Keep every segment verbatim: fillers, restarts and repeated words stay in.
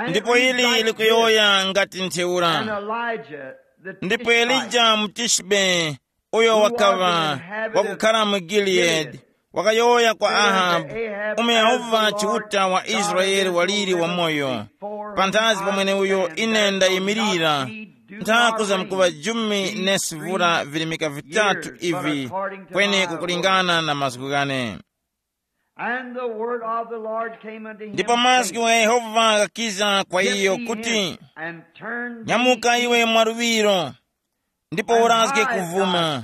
Ndipo ili likuyowoya ngati ntheura. Ndipo Elija Mutishbe, uyo wakaŵa wakukhala mu Gilead, wakayowoya kwa Ahabu, umo Yehova Chiuta wa Israele waliri wamoyo, panthazi pa mweneuyo ine ndayimirira, nthaku zamkuŵa jumi nesivura virimika vitatu ivi, kweni kukulingana na mazgu ghane. And the word of the Lord came unto him, ndipo mazgu saying, gha Yehova ghakiza kwa iyo kuti, and turn nyamuka iwe mwaluŵiro, ndipo urazge kuvuma,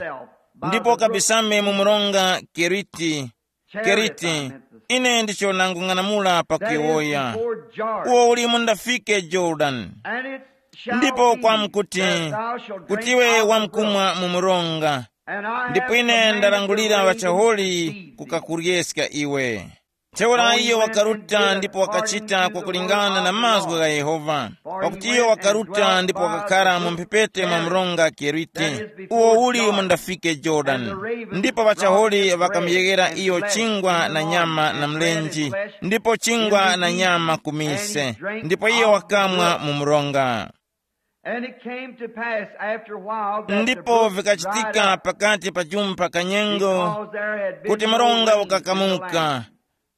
ndipo ukabisame mu mronga Keriti. Keriti, ine ndicho nangung'anamula pakuyowoya, uwo uli mundafike Jorodani. Ndipo kwamkuti, kuti iwe wamkumwa mu mronga, ndipo ine ndarangulira ŵachaholi kukakuryeska iwe. Ntheura iyo wakaruta ndipo wakachita kwakulingana na mazgu gha Yehova, pakuti iyo wakaruta ndipo wakakhara mu mphepete mwa mronga Kerite, uwo uli mundafike Jorodani. Ndipo ŵachaholi ŵakamuyeghera iyo chingwa na nyama na mlenje, ndipo chingwa na nyama ku mise, ndipo iyo wakamwa mu mronga. And it came to pass after a while that the ndipo brook dried vikachitika up, pakati pa jumpa kanyengo, because there had been kuti no mronga rain in the ukakamuka, land.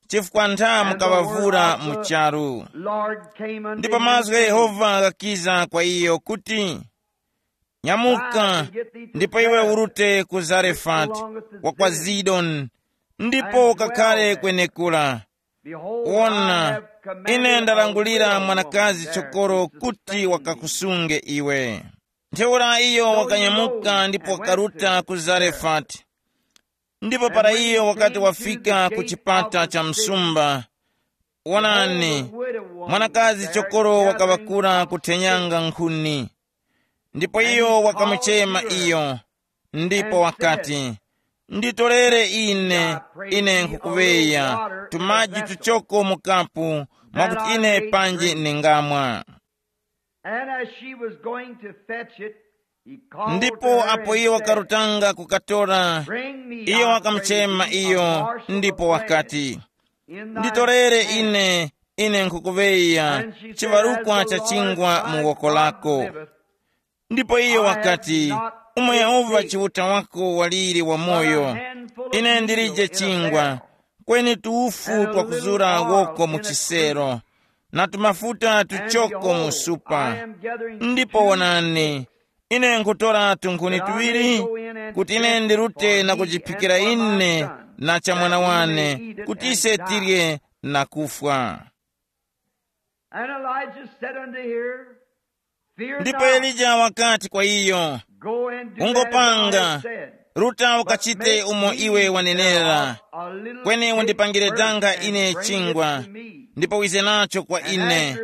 Chifukwa nthamu kawavura mu charu. Lord came unto ndipo him, mazgu gha saying, Yehova ghakiza kwa iyo kuti, nyamuka, ndipo iwe urute ku Zarefati wa kwa Zidoni, ndipo ukakhare kwenekura. Wona, ine ndarangulira mwanakazi chokoro kuti wakakusunge iwe. Ntheura iyo wakanyamuka ndipo wakaruta ku Zarefati. Ndipo para iyo wakati wafika ku chipata cha msumba, wonani, mwanakazi chokoro wakaŵakura kuthenyanga nkhuni. Ndipo iyo wakamuchema iyo, ndipo wakati, nditorere ine, ine nkhukuŵeya tumaji tuchoko mu kapu, mwakuti ine panji ningamwa. And as she was going to fetch it, he called to ndipo her apo and iyo said, wakarutanga kukatora, bring me, iyo I pray wakamuchema thee, a iyo, morsel ndipo of bread wakati, in thy nditorere hand. Ine, ine nkhukuŵeya and she said, chiŵarukwa cha chingwa mu woko lako. Ndipo iyo wakati, umo Yehova Chiuta wako waliri wamoyo, ine ndilije chingwa, kweni tuwufu twakuzura woko mu chisero, na tumafuta tuchoko mu supa. Ndipo wonani, ine nkhutora tunkhuni tuŵiri, kuti ine ndirute na kujiphikira ine na cha mwana wane, kuti ise tirye na kufwa. And Elijah said unto her, fear ndipo not, Elija wakati kwa iyo, go and do as thou ungopanga, hast said. Ruta, ukachite umo iwe wanenera, kweni undipangire danga ine chingwa, ndipo wize nacho kwa ine,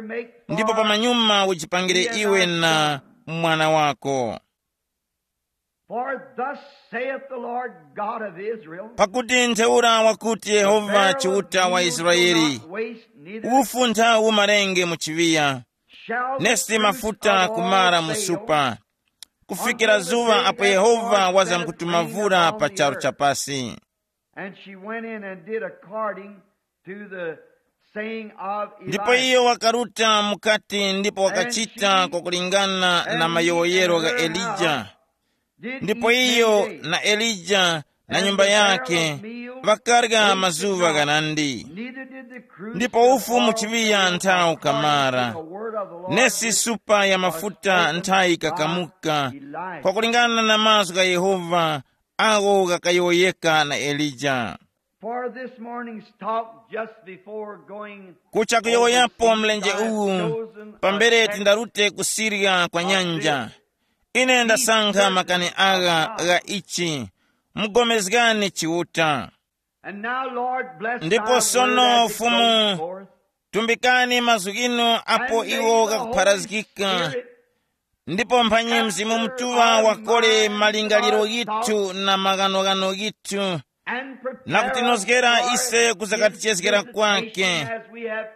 ndipo pamanyuma ujipangire iwe na mwana wako. For thus saith the Lord God of Israel, pakuti ntheura wakuti Yehova Chiuta wa Israeli, ufu nthawu umarenge mu chiŵiya, nesi mafuta kumara mu supa, kufikira zuŵa apo Yehova wazamkutuma vura pa charu cha pasi. And she went in and did according to the saying of Elijah. Ndipo iyo wakaruta mukati ndipo wakachita kwakulingana na mayowoyero gha Elija. Ndipo iyo na Elija na nyumba yake ŵakarya mazuŵa ghanandi. Ndipo ufu mu chiŵiya nthawu kamara, nesi supa ya mafuta nthayi kakamuka, kwakulingana na mazgu gha Yehova agho ghakayowoyeka na Elija. For this morning's talk, just before going kucha kuyowoyapo over mlenje sea, uwu, I've chosen pambere a text tindarute kusirya kwa nyanja, ine ndasankha makani agha gha ichi, mugomezgani Chiuta. And now, Lord, bless ndipo thy sono word as it Fumu, goes forth. Tumbikani mazgu ghinu apo iwo ghakupharazgika, ndipo mphanyi Mzimu Mutuŵa wakole malingaliro ghithu na maghanoghano ghithu, na kutinozgera ise kuzakatichezgera kwake,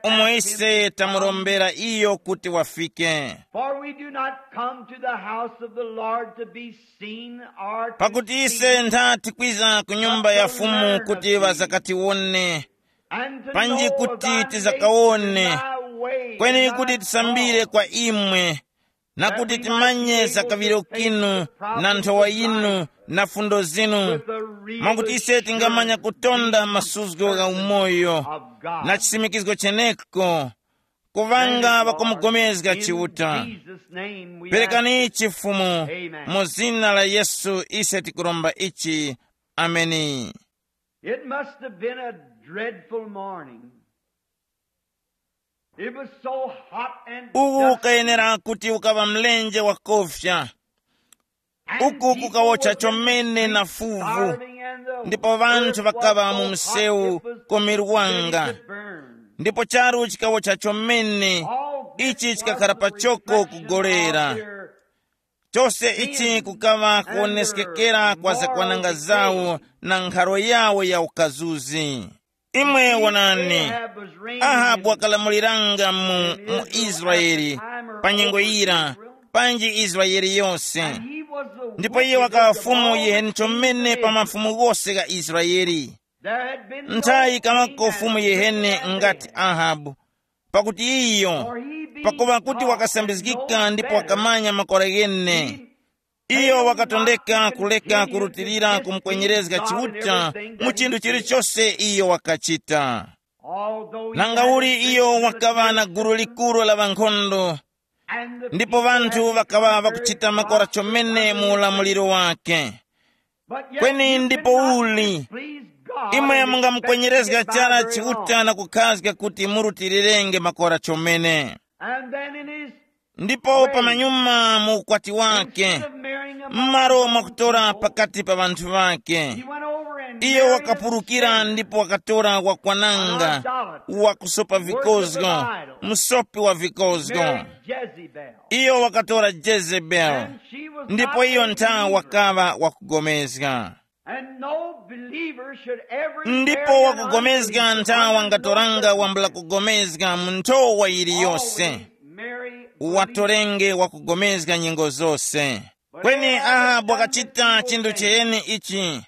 umo ise tamurombera iyo kuti wafike. For we do not come to the house of the Lord to be seen or to pakuti ise see, ntha tikwiza ku nyumba ya Fumu kuti ŵazakatiwone, and to panji know kuti thy tizakawone, ways and thy ways Kweni kuti tisambire kwa imwe, na kuti timanye za kaŵiro kinu, na nthowa yinu, na fundo zinu, mwakuti ise tingamanya kutonda masuzgo gha umoyo na chisimikizgo cheneko, kuŵanga ŵakumugomezga Chiuta. Perekani ichi Fumu, mu zina la Yesu ise tikuromba ichi. Ameni. It must have been a dreadful morning. It was so hot and uwu dusty. Ukayenera kuti ukaŵa mlenje wakofya. And uku people kukawocha were in the chomene na streets fuvu, starving and the ndipo vanthu earth was vakaŵa mu so hot msewu it was ku mirwanga, ready to burn. Ndipo charu chikawocha chomene. All this ichi was chikakhala the pachoko reflection kugolera of their Chose ichi kukaŵa kuwoneskekera kwa zakwananga zawo na nkharo yawo ya ukazuzi. Imwe wonani, Ahabu wakalamuliranga mu, mu Israeli pa nyengo yira, panji Israeli yose. Ndipo iye wakaŵa fumu yiheni chomene pa mafumu ghose gha Israeli. Nthayi kamako fumu yiheni ngati Ahabu, pakuti iyo, pakuŵa kuti wakasambizgika ndipo wakamanya makora ghene, iyo wakatondeka kuleka kurutilira kumukwenyerezga Chiuta mu chinthu chilichose iyo wakachita. Nanga uli iyo wakaŵa na gulu likuru la ŵankhondo, ndipo ŵanthu ŵakaŵa ŵakuchita makora chomene mu ulamuliro wake. Kweni ndipo uli, imwe mungamukwenyerezga chara Chiuta na kukhazga kuti murutirirenge makora chomene. Ndipo pamanyuma mu ukwati wake, m'malo mwakutora pakati pa ŵanthu ŵake, iyo wakapulukira ndipo wakatora wakwananga, wakusopa vikozgo, msopi wa vikozgo. Iyo wakatora Jezebeli, ndipo iyo ntha wakaŵa wakugomezga. And no believer should ever ndipo marry an wakugomezga unbeliever. Ntha wangatoranga wambula kugomezga mu nthowa yiliyose. Always marry believers. Uwatorenge wakugomezga nyengo zose. Kweni Ahabu wakachita chinthu chiyeni ichi.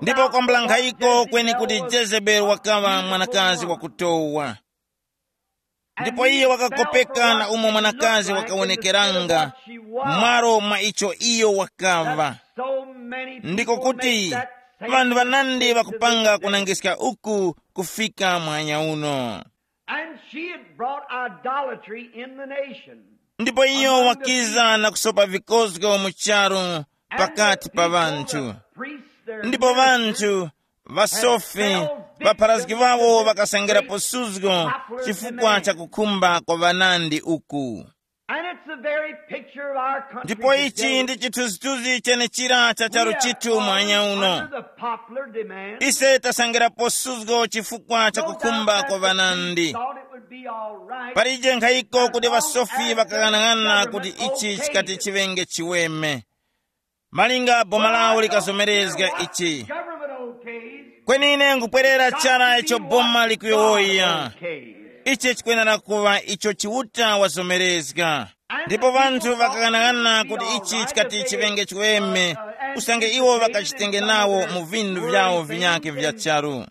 Ndipo kwambula nkhayiko kweni kuti Jezebeli wakaŵa mwanakazi wakutowa. Ndipo iye wakakopeka na umo mwanakazi wakawonekeranga mwaro mwa icho iyo wakaŵa. Ndiko kuti ŵanthu ŵanandi ŵakupanga kunangiska uku kufika mwanya uno. And she had brought idolatry in the nation. Ndipo iyo wakiza na kusopa vikozgo mu charu pakati pa ŵanthu. Ndipo ŵanthu, ŵasofi, ŵapharazgi ŵawo ŵakasangirapo suzgo chifukwa cha kukhumba kwa ŵanandi uku. And it's the very picture of our country. Ndipo ichi ndi chithunzithunzi chenechira cha charu chithu mwanya uno. Ise tasangirapo suzgo chifukwa cha kukhumba kwa ŵanandi. Palije nkhayiko kuti ŵasofi ŵakang'anang'ana kuti ichi chikati chiŵenge chiweme. Malinga boma lawo likazomerezga ichi. Kweni ine nkupwerera chara icho boma likuyowoya. Ichi chikwenera kuŵa icho Chiuta wazomerezga. Ndipo ŵanthu ŵakaghanaghananga kuti ichi chikati chiŵenge chiweme, usange iwo ŵakachitenge nawo mu vindu vyawo vinyakhe vya charu.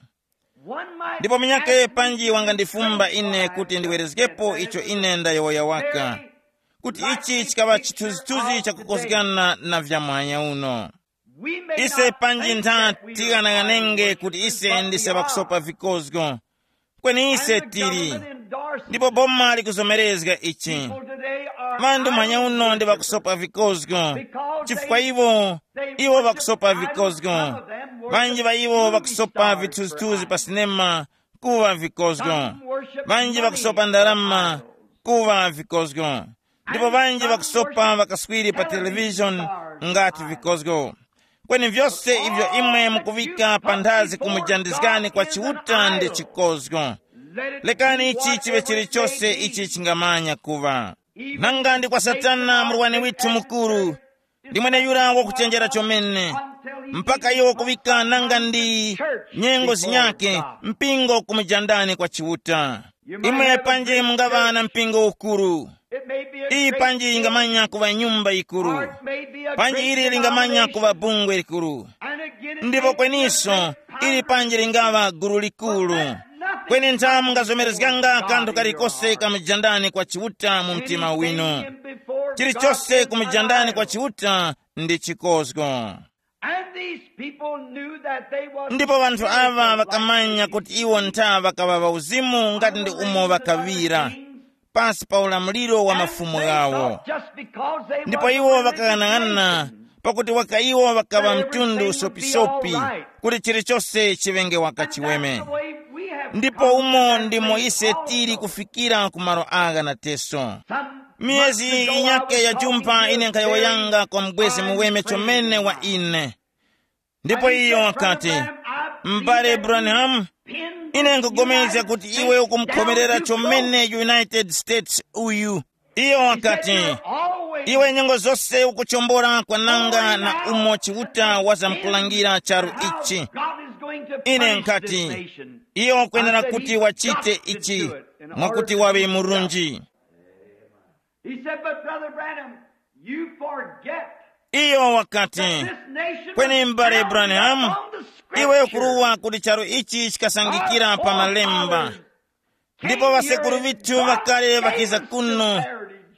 Ndipo munyakhe panji wangandifumba ine kuti ndiwerezgepo icho ine ndayowoya waka, kuti ichi chikaŵa chithunzithunzi chakukozgana na vyamwanya uno. Ise panji ntha tighanaghanenge kuti ise ndise ŵakusopa vikozgo, kweni ise tili. Ndipo boma likuzomerezga ichi. Ŵanthu mwanya uno ndi ŵakusopa vikozgo, chifukwa iwo, iwo ŵakusopa vikozgo. Ŵanji ŵa iwo ŵakusopa vithunzithunzi pa sinema, kuŵa vikozgo. Ŵanji ŵakusopa ndarama, kuŵa vikozgo. Ndipo ŵanji ŵakusopa ŵakaswiri pa televishoni ngati vikozgo. Kweni vyose ivyo imwe mukuŵika panthazi kumujandizgani kwa Chiuta ndi chikozgo. Lekani ichi chiŵe chilichose ichi chingamanya kuŵa. Nanga ndi kwa Satana murwani withu mukuru, ndi mweneyura wakuchenjera chomene, mpaka iwo kuŵika nanga ndi nyengo zinyakhe mpingo kumujandani kwa Chiuta. Imwe panji mungaŵa na mpingo ukuru. Iyi panji yingamanya kuŵa nyumba yikuru. Panji ili lingamanya kuŵa bungwe likuru. Ndipo kweniso, ili panji lingaŵa gulu likuru. Kweni ntha mungazomerezganga kanthu kalikose kamujandani kwa Chiuta mu mtima winu. Chilichose kumujandani kwa Chiuta ndi chikozgo. And these people knew that they was Ndipo vanthu ava vakamanya kuti iwo ntha ŵakaŵa ŵauzimu ngati ndi umo ŵakaŵira, pansi pa ulamuliro wa mafumu ghawo. Ndipo iwo ŵakang'anang'ana, pakuti waka iwo ŵakaŵa mtundu usopisopi, kuti chilichose chiŵenge waka chiweme. Ndipo umo ndimo ise tili kufikira ku malo agha na teso. Miyezi yinyake ya jumpa ine nkhayowoyanga kwa mubwezi muweme chomene wa ine. Ndipo iyo wakati, "M'bale Branham, ine nkugomezga kuti iwe ukumukhomerera chomene United States uyu." Iyo wakati, "Iwe nyengo zose ukuchombora kwananga na umo Chiuta wazamkulangira charu ichi." Ine nkati, "Iyo wakwenera kuti wachite ichi, mwakuti waŵe murunji." He said, "But Brother Branham, you forget Iyo wakati, that this nation was "Kweni m'bale founded Branham, upon the iwe scripture." Ukuruwa kuti charu ichi chikasangikira pa malemba. Ndipo ŵasekuru ŵithu ŵakale ŵakiza kuno,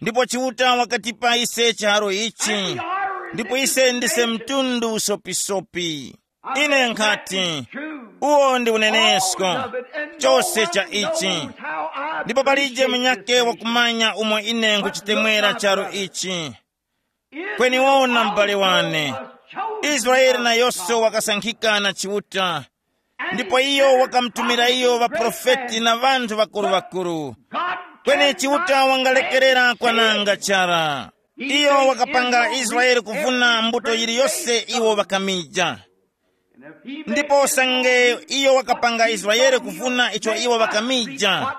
ndipo Chiuta wakatipa ise chiharo ichi, ndipo ise ndise mtundu usopisopi. Ine nkhati, uwo ndi unenesko, chose cha ichi. Ndipo palije munyake wakumanya umo ine nkuchitemwera charu ichi. Kweni wona, m'bale wane, Israele nayonso wakasankhika na Chiuta, ndipo iyo wakamutumira iyo ŵaprofeti na ŵanthu ŵakuru-ŵakuru. Kweni Chiuta wangalekerera kwananga chara. Iyo wakapanga Israele kuvuna mbuto yiliyose iwo ŵakamija. Ndipo usange iyo wakapanga Israele kuvuna icho iwo ŵakamija,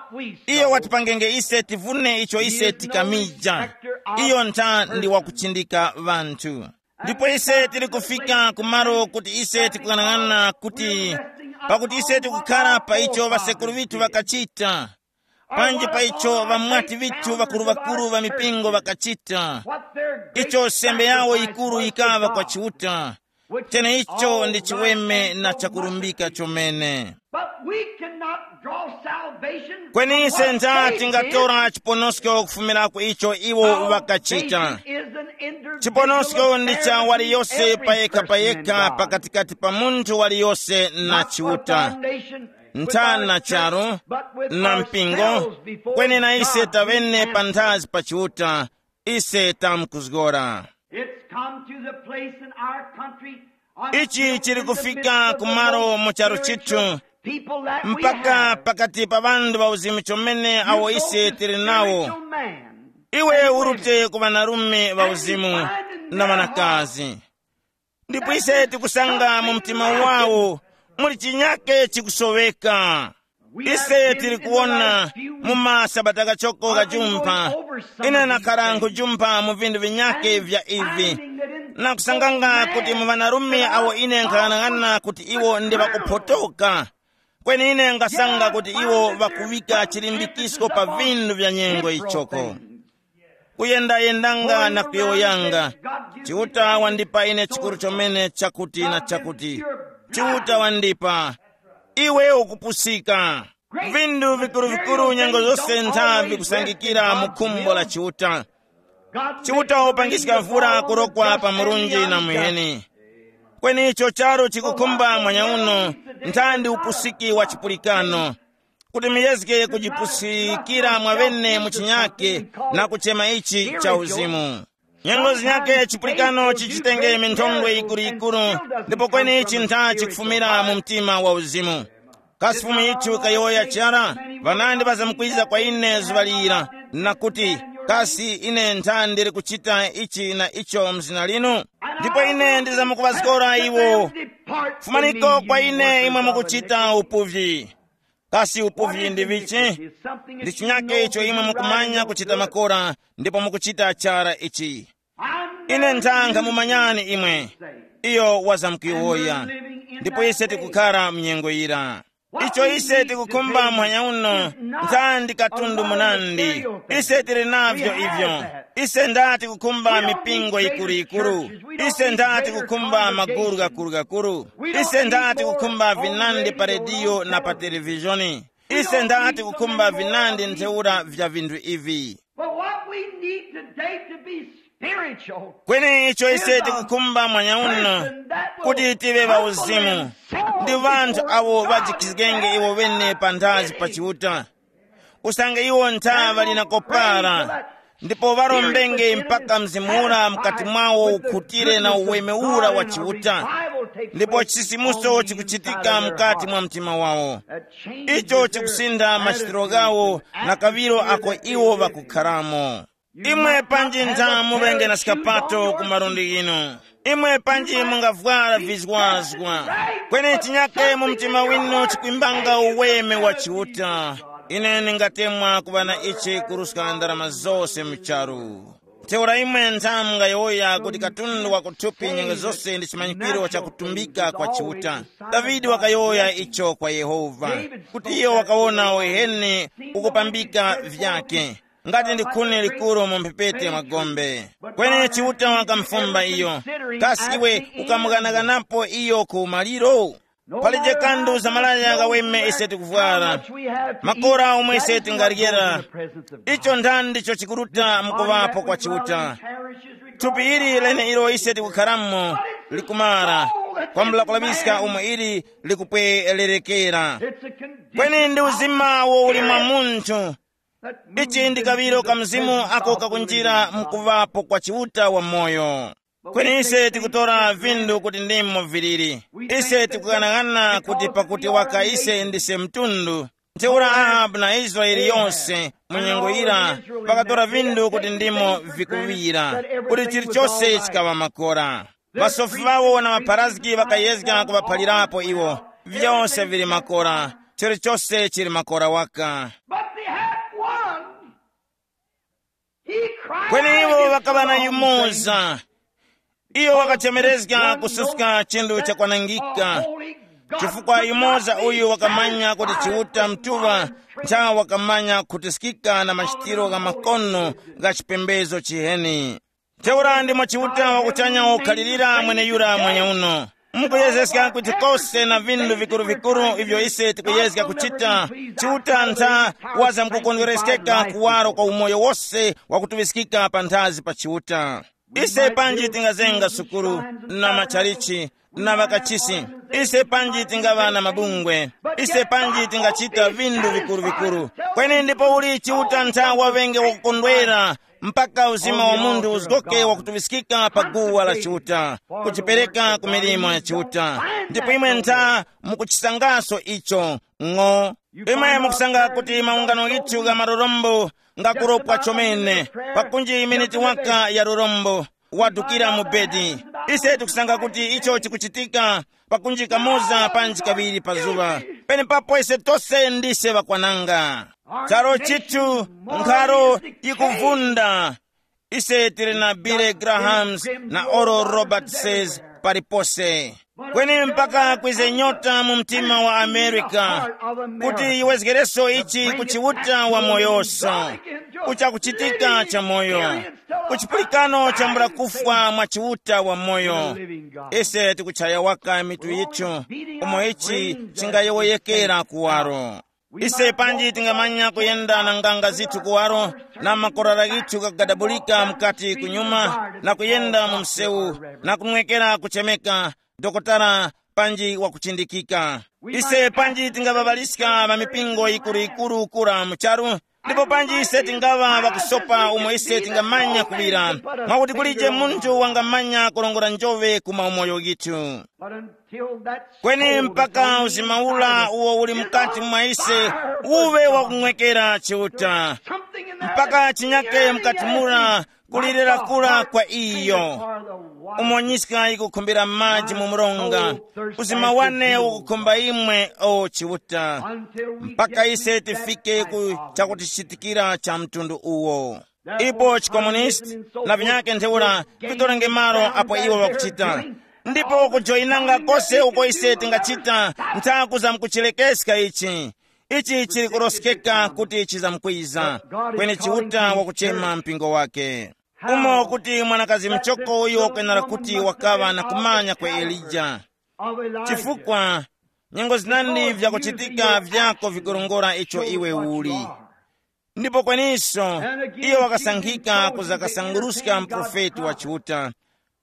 iyo watipangenge ise tivune icho ise tikamija. Iyo ntha ndi wakuchindika ŵanthu. Ndipo ise tili kufika kumalo kuti ise tikuyang'ana kuti, pakuti ise tikukhara pa icho ŵasekuru ŵithu ŵakachita, panji pa icho ŵamwati ŵithu ŵakuru-ŵakuru ŵa mipingo ŵakachita, icho sembe yawo yikuru yikaŵa kwa Chiuta, cheneicho ndi chiweme na chakurumbika chomene. But we cannot draw salvation. Kweni from ise what ntha they tingatora did. Chiponosko kufumira ku icho iwo ŵakachita. Salvation is an individual Chiponosko ndi cha affair of waliyose every payekha person in payekha God. Pakatikati pa munthu waliyose na Not for Chiuta. Foundation with our Nthana church, charu but with na mpingo, ourselves before kweni na ise God, tavene we pa nthazi pa Chiuta, ise tamkuzgora. It's come to the place in our country on Ichi chili kufika kumalo mu charu chithu, people that we mpaka have. Pakati pa ŵanthu ŵauzimu chomene awo ise tili nawo. Spiritual man. Iwe urute ku ŵanarume ŵauzimu na ŵanakazi. Ndipo ise tikusanga mu mtima wawo muli chinyake chikusoweka. Ise tili kuwona mu masabata kachoko kajumpha, ine nakhala nkujumpha mu vinthu vinyake vya ivi, na kusanganga kuti mu ŵanarume awo ine nkhalang'ana kuti iwo ndi ŵakuphotoka, kweni ine ngasanga kuti iwo ŵakuŵika chilimbikisko pa vinthu vya nyengo ichoko. Kuyendayendanga na kuyowoyanga, Chiuta wandipa ine chikuru chomene chakuti na chakuti. Chiuta wandipa. Iwe ukupusika. Vindu vikuru-vikuru nyengo zose ntha vikusankhikira mu khumbo la Chiuta. Chiuta wapangiska mvura kurokwa pa murunji na muheni. Kweni icho charu chikukhumba mwanya uno, nthandi upusiki wa chipulikano, kuti muyezge kujipusikira mwaŵene mu chinyake na kuchema ichi cha uzimu. Nyengo zinyake chipulikano chichitenge minthongwe yikuru-yikuru, ndipo kweni ichi ntha chikufumira mu mtima wa uzimu. Kasi Fumu yithu kayowoya chara, ŵanandi ŵazamkwiza kwa ine zuŵa lira, na kuti, kasi ine ntha ndili kuchita ichi na icho mzina linu? Ndipo ine ndizamkuŵazgora iwo, fumaniko kwa ine imwe mukuchita upuvyi. Kasi upuvyi ndi vichi? Ndi chinyake icho imwe mukumanya kuchita makora, ndipo mukuchita chara ichi. Ine nthanga mumanyani imwe. Iyo wazamkuyowoya. Ndipo ise tikukhara mnyengo yira. Icho ise tikukhumba muhanya uno, nthandi katundu munandi. Ise tili navyo ivyo. Ise ndati kukhumba mipingo yikuru-yikuru. Ise ndati kukhumba maguru ghakuru-ghakuru. Ise ndati kukhumba vinandi pa rediyo na pa televizhoni. Ise ndati kukhumba vinandi ntheura vya vinthu ivi. But what we need today to be spiritual. Kweni icho ise tikukhumba mwanyauno kuti tive ŵauzimu, ndi vanthu awo ŵajikhizgenge iwo ŵene panthazi pa Chiuta. Usange iwo ntha ŵali na kopara, ndipo ŵarombenge mpaka mzimu ura mkati mwawo ukhutire na uweme ura wa Chiuta, ndipo chisimuso chikuchitika mkati mwa mtima wawo. Icho chikusintha machitiro ghawo na kaŵiro ako iwo ŵakukharamo. Imwe panji ntha muŵenge na skapato ku malundi ghinu? Imwe panji mungavwara vizwazwa? Kweni chinyake mu mtima winu chikwimbanga uweme wa Chiuta. Ine ndingatemwa kuŵa na ichi kuruska ndarama zose mu charu. Ntheura imwe ntha mungayowoya kuti katundu wa kuthupi nyengo zose ndi chimanyikiro cha kutumbika kwa Chiuta. Davide wakayowoya icho kwa Yehova, kuti iyo wakawona uheni ukupambika vyake, ngati ndi khuni likuru mu mphepete mwa gombe. Kweni Chiuta wakamufumba iyo, kasi iwe ukamughanaghanapo iyo ku maliro? Palije kandu za malaya ghaweme ise tikuvwara, makora omwe ise tingaryera, icho nthani ndicho chikuruta mukuŵapo kwa Chiuta. Thupi ili lene ilo ise tikukharamo likumara, kwambula kulaŵiska umo ili likupwererekera. Kweni ndi uzima wo uli mwa munthu. Ichi ndi kaŵiro ka mzimu ako kakunjira mkuŵapo kwa Chiuta wa moyo. Kweni ise tikutora vindu kuti ndimo viliri. Ise tikughanaghananga kuti pakuti waka ise ndise mtundu. Ntheura Ahabu na Israele yose mu nyengo yira pakatora vindu kuti ndimo vikuŵira, kuti chilichose chikaŵa makora. Ŵasofi ŵawo na ŵapharazgi ŵakayezga kuŵaphalirapo iwo. Vyose vili makora, chilichose chili makora waka. But they had one. He cried. Kweni iwo ŵakaŵa na yumoza. Iyo wakachemerezga kususka chinthu chakwanangika, chifukwa yumoza uyu wakamanya kuti Chiuta Mutuŵa ntha wakamanya khutiskika na machitiro gha makono gha chipembezo chiheni. Ntheura ndimo Chiuta wa kuchanya wakukhalirira mweneyura mwenyeuno. Mukuyezeska kuti kose na vindu vikuru-vikuru ivyo ise tikuyezga kuchita, Chiuta ntha wazamkukondwereskeka kuwaro kwa umoyo wose wakutuŵiskika panthazi pa Chiuta. Ise panji tingazenga sukulu na machalichi na ŵakachisi, ise panji tingaŵa na mabungwe, ise panji tingachita vindu vikuru-vikuru, kweni ndipo uli Chiuta ntha waŵenge wakukondwera mpaka uzima wa munthu uzgoke wakutuŵiskika pa guwa la Chiuta, kuchipereka ku milimo ya Chiuta. Ndipo imwe ntha mukuchisangaso icho. Ng'o. Imwe mukusanga kuti maungano ghithu gha marorombo ngakuropwa chomene, pakunji miniti waka ya rorombo wadukira mu bedi. Ise tikusanga kuti icho chikuchitika pakunji kamoza panji kaŵiri pa zuŵa. Penepapo ise tose ndise ŵakwananga. Charo chithu, nkharo yikuvunda. Ise tili na Billy Grahams na Oral Roberts palipose. Kweni mpaka kwize nyota mu mtima wa Amerika kuti yiwezgereso ichi ku Chiuta wa moyoso, kuchakuchitika cha moyo, kuchipulikano chambula kufwa mwa Chiuta wa moyo. Ise tikuchaya waka mitu yithu umo ichi chingayowoyekera kuwaro. Ise panji tingamanya kuyenda na nganga zithu kuwaro, na makorara ghithu kagadabulika mukati kunyuma, na kuyenda mu msewu, na kunwekera kuchemeka, dokotala panji wakuchindikika. Ise panji tingaŵaŵaliska ŵa mipingo yikuru-yikuru kura mu charu, ndipo panji ise tingaŵa ŵakusopa umo ise tingamanya kuŵira, mwakuti kulije munthu wangamanya kurongora njoŵe ku maumoyo ghithu. Kweni mpaka uzima ula uwo uli mukati mwa ise uwe wakung'wekera Chiuta, mpaka chinyake mukati mura kulirira kura kwa iyo. Umonyiska ikukhumbira maji mu mronga, uzima wane ukukhumba imwe, o Chiuta, mpaka ise tifike ku chakutichitikira cha mtundu uwo. Ipo chikomunisti na vinyake ntheura vitorenge malo apo iwo ŵakuchita, ndipo kujoyinanga kose uko ise tingachita ntha kuzamkuchilekeska ichi. Ichi chili kuroskeka kuti chizamkwiza, kweni Chiuta wakuchema mpingo wake. Umo kuti mwanakazi mchoko uyo wakwenera kuti wakaŵa na kumanya kwa Elija, chifukwa Nyengo zinandi vyakuchitika vyako vikurongora icho iwe uli. Ndipo kweniso, iyo wakasankhika kuzakasanguruska mprofeti wa Chiuta.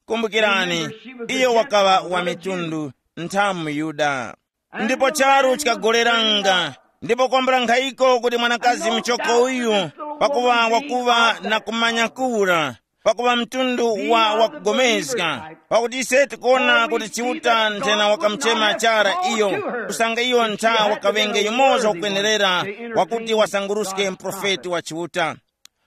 Kumbukirani, iyo wakaŵa wa mitundu, nthamu Yuda. Ndipo charu chikagoleranga, ndipo kwambula nkhayiko kuti mwanakazi mchoko uyu, pakuŵa wakuŵa na kumanya kura, pakuŵa mtundu wa wakugomezga, pakuti ise tikuona kuti Chiuta nthena wakamuchema chara iyo, kusanga iyo ntha wakaŵenge yumoza wakwenerera, wakuti wasanguruske mprofeti wa Chiuta.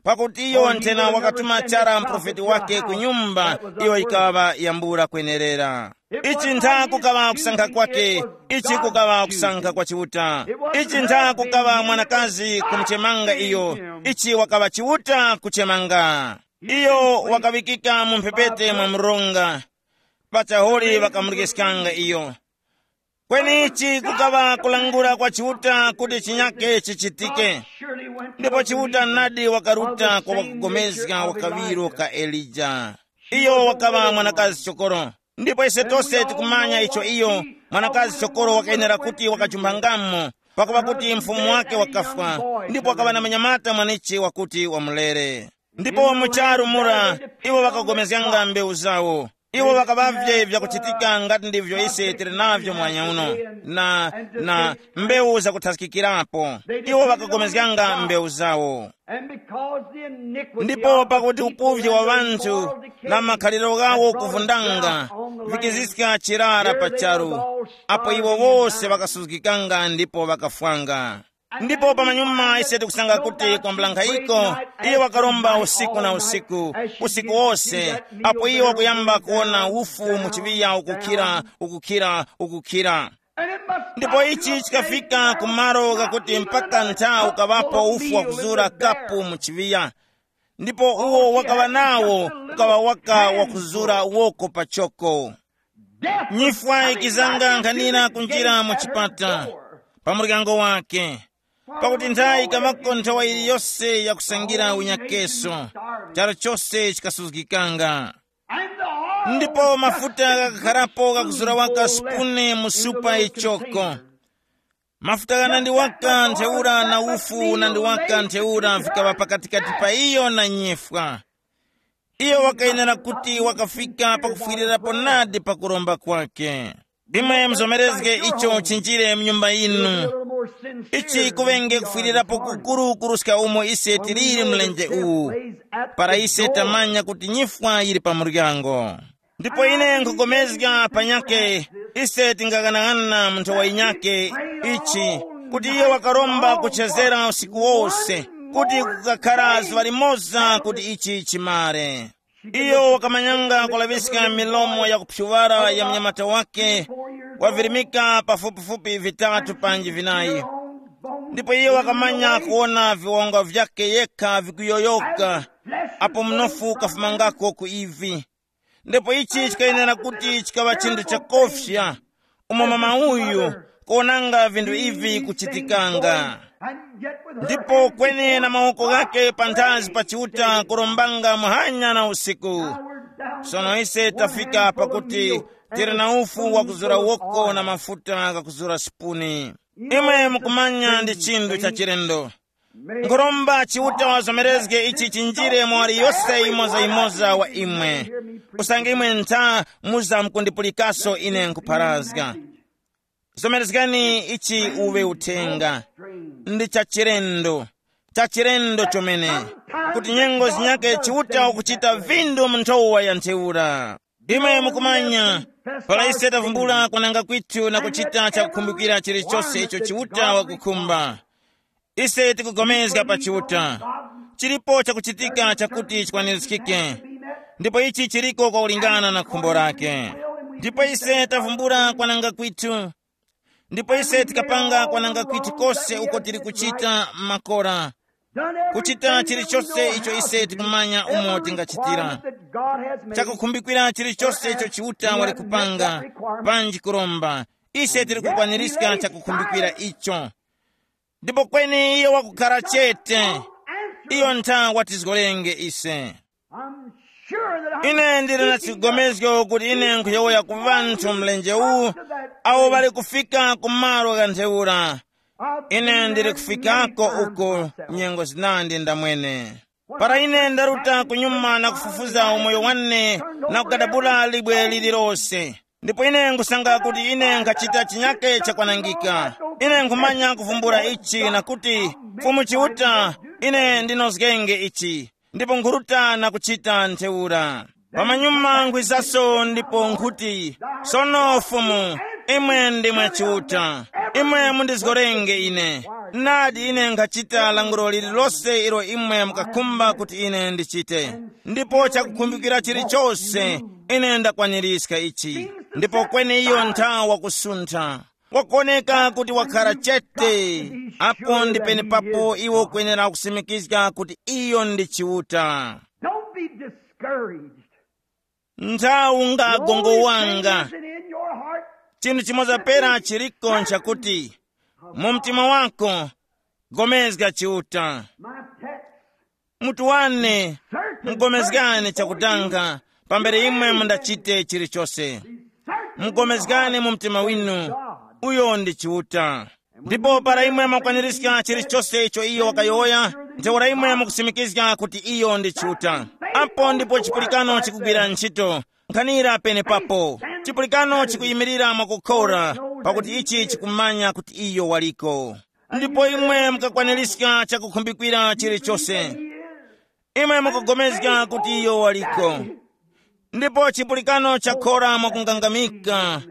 Pakuti iyo nthena wakatuma chara mprofeti wake ku nyumba iyo ikaŵa yambula kwenerera. Ichi ntha kukaŵa kusankha kwake, ichi kukaŵa kusankha kwa Chiuta. Ichi ntha kukaŵa mwanakazi kumuchemanga iyo, ichi wakaŵa Chiuta kuchemanga. Iyo wakaŵikika mu mphepete mwa mronga, pachahuli ŵakamulikiskanga iyo. Kweni ichi kukaŵa kulangula kwa Chiuta kuti chinyake chichitike. Ndipo Chiuta nadi wakaruta kwa wakugomezga wa kaŵiro ka Elija. Iyo wakaŵa mwanakazi chokoro. Ndipo ise tose tikumanya icho iyo mwanakazi chokoro wakayenera kuti wakajumpangamo, pakupa kuti mfumu wake wakafwa, ndipo wakaŵa na manyamata mwanichi wakuti wamulere. Ndipo mu charu mura, iwo ŵakagomezganga mbewu zawo. Iwo ŵakaŵavye vyakuchitika ngati ndivyo ise tili navyo mwanya uno, na, na mbewu zakuthaskikirapo. Iwo ŵakagomezganga mbewu zawo. And because the iniquity ndipo of the pakuti people upuvye and wa the ŵanthu immoral na decay makhaliro ghawo had brought a kuvundanga drought on the land, vikiziska chirara pa charu, apo iwo wose ŵakasuzgikanga ndipo ŵakafwanga. Ndipo pamanyuma ise tikusanga kuti kwambula nkhayiko, iyo wakaromba usiku na usiku, usiku wose, apo iyo wakuyamba kuwona ufu mu chiŵiya ukukhira, ukukhira, ukukhira. Ndipo ichi chikafika ku malo ghakuti mpaka nthawi ukaŵapo ufu wakuzura kapu mu chiŵiya. Ndipo uwo wakaŵa nawo ukaŵa waka wakuzura woko pachoko. Nyifwa ikizanga nkhanira kunjira mu chipata pa muryango wake, pakuti nthayi ikaŵako nthowa yiliyose yakusangira unyakeso, charu chose chikasuzgikanga. Ndipo mafuta ghakakharapo ghakuzura waka sipuni mu supa ichoko. Mafuta ghanandi waka ntheura na ufu unandi waka ntheura vikaŵa pakatikati pa iyo na nyifwa. Iyo wakayenera kuti wakafika pakufwirirapo nadi pa kuromba kwake. Imwe muzomerezge icho chinjire mu nyumba yinu. Ichi kuŵenge kufwirirapo kukuru kuruska umo ise tiliri mlenje uwu, para ise tamanya kuti nyifwa yili pa muryango. Ndipo ine nkhupulikana panyakhe, ise tingaghanaghananga mu nthowa yinyakhe ichi, kuti iyo wakaromba kuchezera usiku wose, kuti kukakhara zuŵa limoza kuti ichi chimare. Iyo wakamanyanga kulaŵiska milomo yakuphyuŵara ya mnyamata wake, wavirimika pafupifupi vitatu panji vinayi. Ndipo iyo wakamanya kuwona viwonga vyakhe yekha vikuyoyoka, apo mnofu ukafumangako ku ivi. Ndipo ichi chikayenera kuti chikaŵa chinthu chakofya, umo mama uyu kuwonanga vinthu ivi kuchitikanga. Ndipo kweni na mawoko ghakhe panthazi pa Chiuta kurombanga muhanya na usiku. Sono ise tafika pakuti tili na ufu wakuzura woko na mafuta ghakuzura sipuni. Imwe mukumanya ndi chinthu cha chilendo. Nkhuromba Chiuta wazomerezge ichi chinjire mwa waliyose yimoza-yimoza wa imwe. Usange imwe ntha muza mukundipulikaso ine nkupharazga. Zomerezgani ichi uwe uthenga. Ndi cha chilendo, cha chilendo chomene, kuti nyengo zinyakhe Chiuta ukuchita vindu mu nthowa ya ntheura. Imwe mukumanya, para ise tavumbula kwananga kwithu na kuchita chakukhumbikira chilichose icho Chiuta wakukhumba, ise tikupulikana pa Chiuta. Chilipo chakuchitika chakuti chikwanirizgike, ndipo ichi chiliko kwakulingana na khumbo lake. Ndipo ise tavumbula kwananga kwithu, ndipo ise tikapanga kwananga kwithu kose uko tili kuchita makora, kuchita chilichose icho ise tikumanya umo tingachitira. Chakukhumbikira chilichose icho Chiuta wali kupanga, panji kuromba, ise tili kukwanirizga chakukhumbikira icho. Ndipo kweni iye wakukhara chete, iyo ntha watizgorenge ise. I'm sure that Ine ndili na chigomezgo kuti ine nkhuyowoya ku ŵanthu mlenje uwu awo ŵali kufika ku malo gha ntheura. Ine ndili kufikako uko nyengo zinandi ndamwene. Para ine ndaruta kunyuma na kufufuza umoyo wane na kugadabula libwe lililose, ndipo ine nkhusanga kuti ine nkhachita chinyake chakwanangika. Ine nkhumanya kuvumbula ichi na kuti, Fumu Chiuta, ine ndinozgenge ichi, ndipo nkhuruta na kuchita ntheura. Pamanyuma nkhwizaso ndipo nkhuti, Sono Fumu, imwe ndimwe Chiuta, imwe mundizgorenge ine. Nadi ine nkhachita lankhulo lililose ilo imwe mukakhumba kuti ine ndichite, ndipo chakukhumbikira chilichose ine ndakwanirizga ichi. Ndipo kweni iyo nthawa wakusuntha, wakuoneka kuti wakhara chete. Apo ndi penepapo iwo ukwenera kusimikizga kuti iyo ndi Chiuta. Don't be discouraged. Nthawi ungagongo wanga. Listen in your heart. Chinthu chimoza pera chiliko nchakuti mu mtima wako gomezga Chiuta. My text. Mutu wane, mugomezgane chakutanga pambere imwe mundachite chilichose. Mugomezgane mu mtima winu, uyo ndi Chiuta. Ndipo para imwe mwakwanirizga chilichose icho iyo wakayowoya, ntheura imwe mukusimikizga kuti iyo ndi Chiuta. Apo ndipo chipulikano chikugwira ntchito. Nkhanira penepapo, chipulikano chikuyimirira mwakukhora, pakuti ichi chikumanya kuti iyo waliko. Ndipo imwe mukakwanirizga chakukhumbikira chilichose. Imwe mukugomezga kuti iyo waliko. Ndipo chipulikano chakhora mwakungangamika.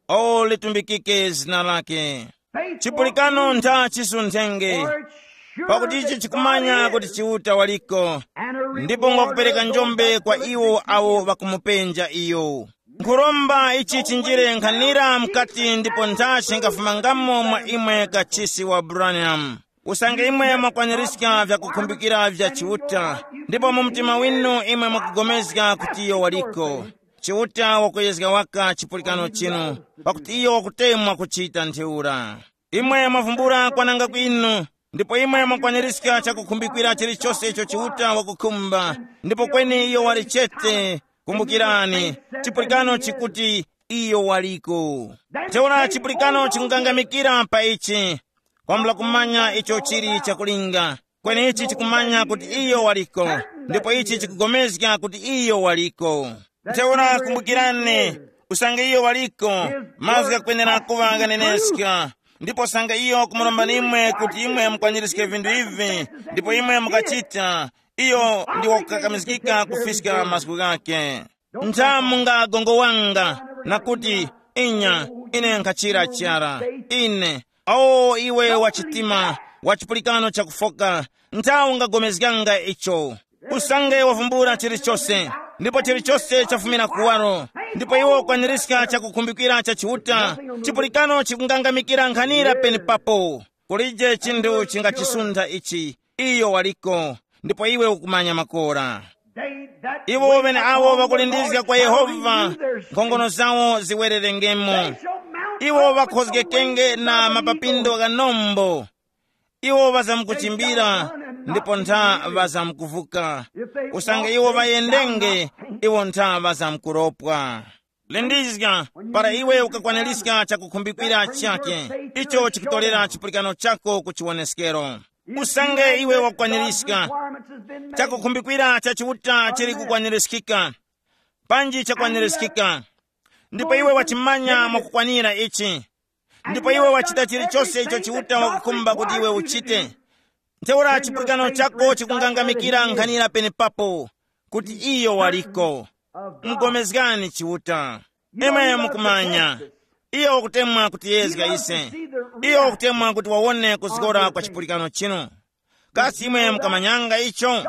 O, litumbikike zina lake. Chipulikano ntha chisunthenge, pakuti ichi chikumanya kuti Chiuta waliko, ndipo ngwakupereka njombe kwa iwo awo ŵakumupenja iyo. Nkhuromba ichi chinjire nkhanira mkati ndipo ntha chingafumangamo mwa imwe kachisi wa Branham. Usange imwe mwakwanirizga vyakukhumbikira vya Chiuta, ndipo mu mtima winu imwe mwakugomezga kuti iyo waliko, Chiuta wakuyezga waka chipulikano chinu, pakuti iyo wakutemwa kuchita ntheura. Imwe mwavumbula kwananga kwinu, ndipo imwe mwakwanirizga chakukhumbikira chilichose icho Chiuta wakukhumba, ndipo kweni iyo wali chete. Kumbukirani, chipulikano chikuti iyo waliko. Ntheura chipulikano chikungangamikira pa ichi, kwambula kumanya icho chili chakulinga. Kweni ichi chikumanya kuti iyo waliko, ndipo ichi chikugomezga kuti iyo waliko. Ntheura kumbukirani, usange iyo waliko, mazgu ghakwenera kuŵa ghaneneska. Ndipo usange iyo kumuromba nimwe kuti imwe mukwanirizge vinthu ivi, ndipo imwe mukachita, iyo ndi wakukakamizgika kufiska mazgu ghakhe. Ntha mungagongo wanga, na kuti, inya, ine nkhachira chara. Ine, o iwe wa chitima, wa chipulikano chakufoka, ntha ungagomezganga icho. Usange wavumbula chilichose, ndipo chilichose chafumira kuwaro, ndipo iwe ukwanirizga chakukhumbikira cha Chiuta, chipulikano chikungangamikira nkhanira penepapo. Kulije chinthu chingachisuntha ichi, iyo waliko, ndipo iwe ukumanya makora. Iwo ŵeneawo ŵakulindizga kwa Yehova, nkhongono zawo ziwererengemo. Iwo ŵakhozgekenge na mapapindo gha nombo. Iwo ŵazamkuchimbira, ndipo ntha ŵazamkuvuka. Usange iwo ŵayendenge, iwo ntha ŵazamkuropwa. Lindizga, para iwe ukakwanirizga chakukhumbikira chake, icho chikutorera chipulikano chako ku chiwoneskero. Usange iwe wakwanirizga, chakukhumbikira cha Chiuta chili kukwanirizgika. Panji chakwanirizgika. Ndipo iwe wachimanya mwakukwanira ichi. Ndipo iwe wachita chilichose icho Chiuta wakukhumba kuti iwe uchite. Ntheura chipulikano chako chikungangamikira nkhanira penepapo, kuti iyo waliko. Mgomezgani Chiuta. Imwe mukumanya, iyo wakutemwa kutiyezga ise. Iyo wakutemwa kuti wawone kuzgora kwa chipulikano chinu. Kasi imwe mukamanyanga icho?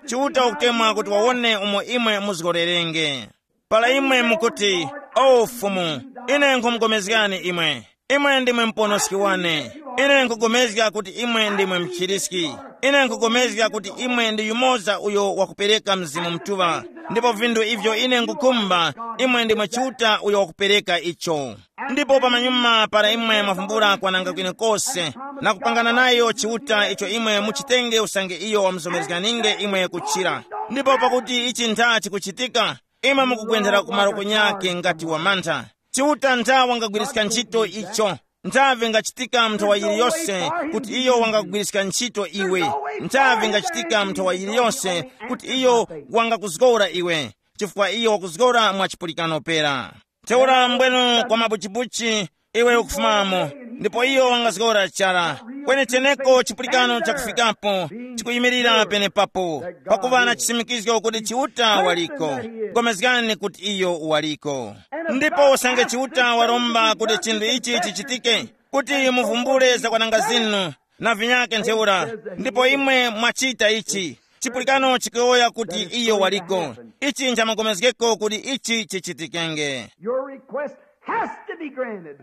Chiuta wakutemwa kuti wawone umo imwe muzgorerenge. Para imwe mukuti, o Fumu, ine nkhumugomezgani imwe. Imwe ndimwe muponoski wane. Ine nkhugomezga kuti imwe ndimwe mchiriski. Ine nkhugomezga kuti imwe ndi yumoza uyo wakupereka Mzimu Mutuŵa. Ndipo vinthu ivyo ine nkhukhumba, imwe ndimwe Chiuta uyo wakupereka icho. Ndipo pamanyuma para imwe mwavumbula kwananga kwenekose, na kupangana nayo Chiuta icho imwe muchitenge usange iyo wamuzomerezganinge imwe kuchira. Ndipo pakuti ichi ntha chikuchitika, imwe mukugwendera ku malo kunyake ngati wamantha. Chiuta ntha wangagwiriska ntchito icho. Ntha vingachitika mu nthawa yiliyose kuti iyo wangakugwiriska ntchito iwe. Ntha vingachitika mu nthawa yiliyose kuti iyo wangakuzgora iwe, chifukwa iyo wakuzgora mwa chipulikano pera. Ntheura mbwenu kwa mabuchibuchi iwe ukufumamo, ndipo iyo wangazgora chara. Kweneteneko chipulikano chakufikapo chikuyimirira penepapo, pakuva na chisimikizgo kuti Chiuta waliko. Gomezgani kuti iyo waliko. Ndipo usange Chiuta waromba kuti chinthu ichi chichitike, kuti muvumbule zakwananga zinu, na vinyake ntheura, ndipo imwe mwachita ichi, chipulikano chikuyowoya kuti iyo waliko. Ichi nchamukomezgeko kuti ichi chichitikenge. Your request has to be granted.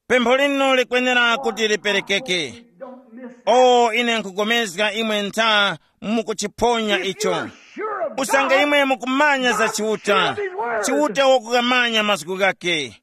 Pempho linu likwenera kuti liperekeke. Don't miss. O ine nkupulikana imwe ntha mukuchiphonya icho. Usange imwe mukumanya za Chiuta, Chiuta wakukamanya mazgu ghake.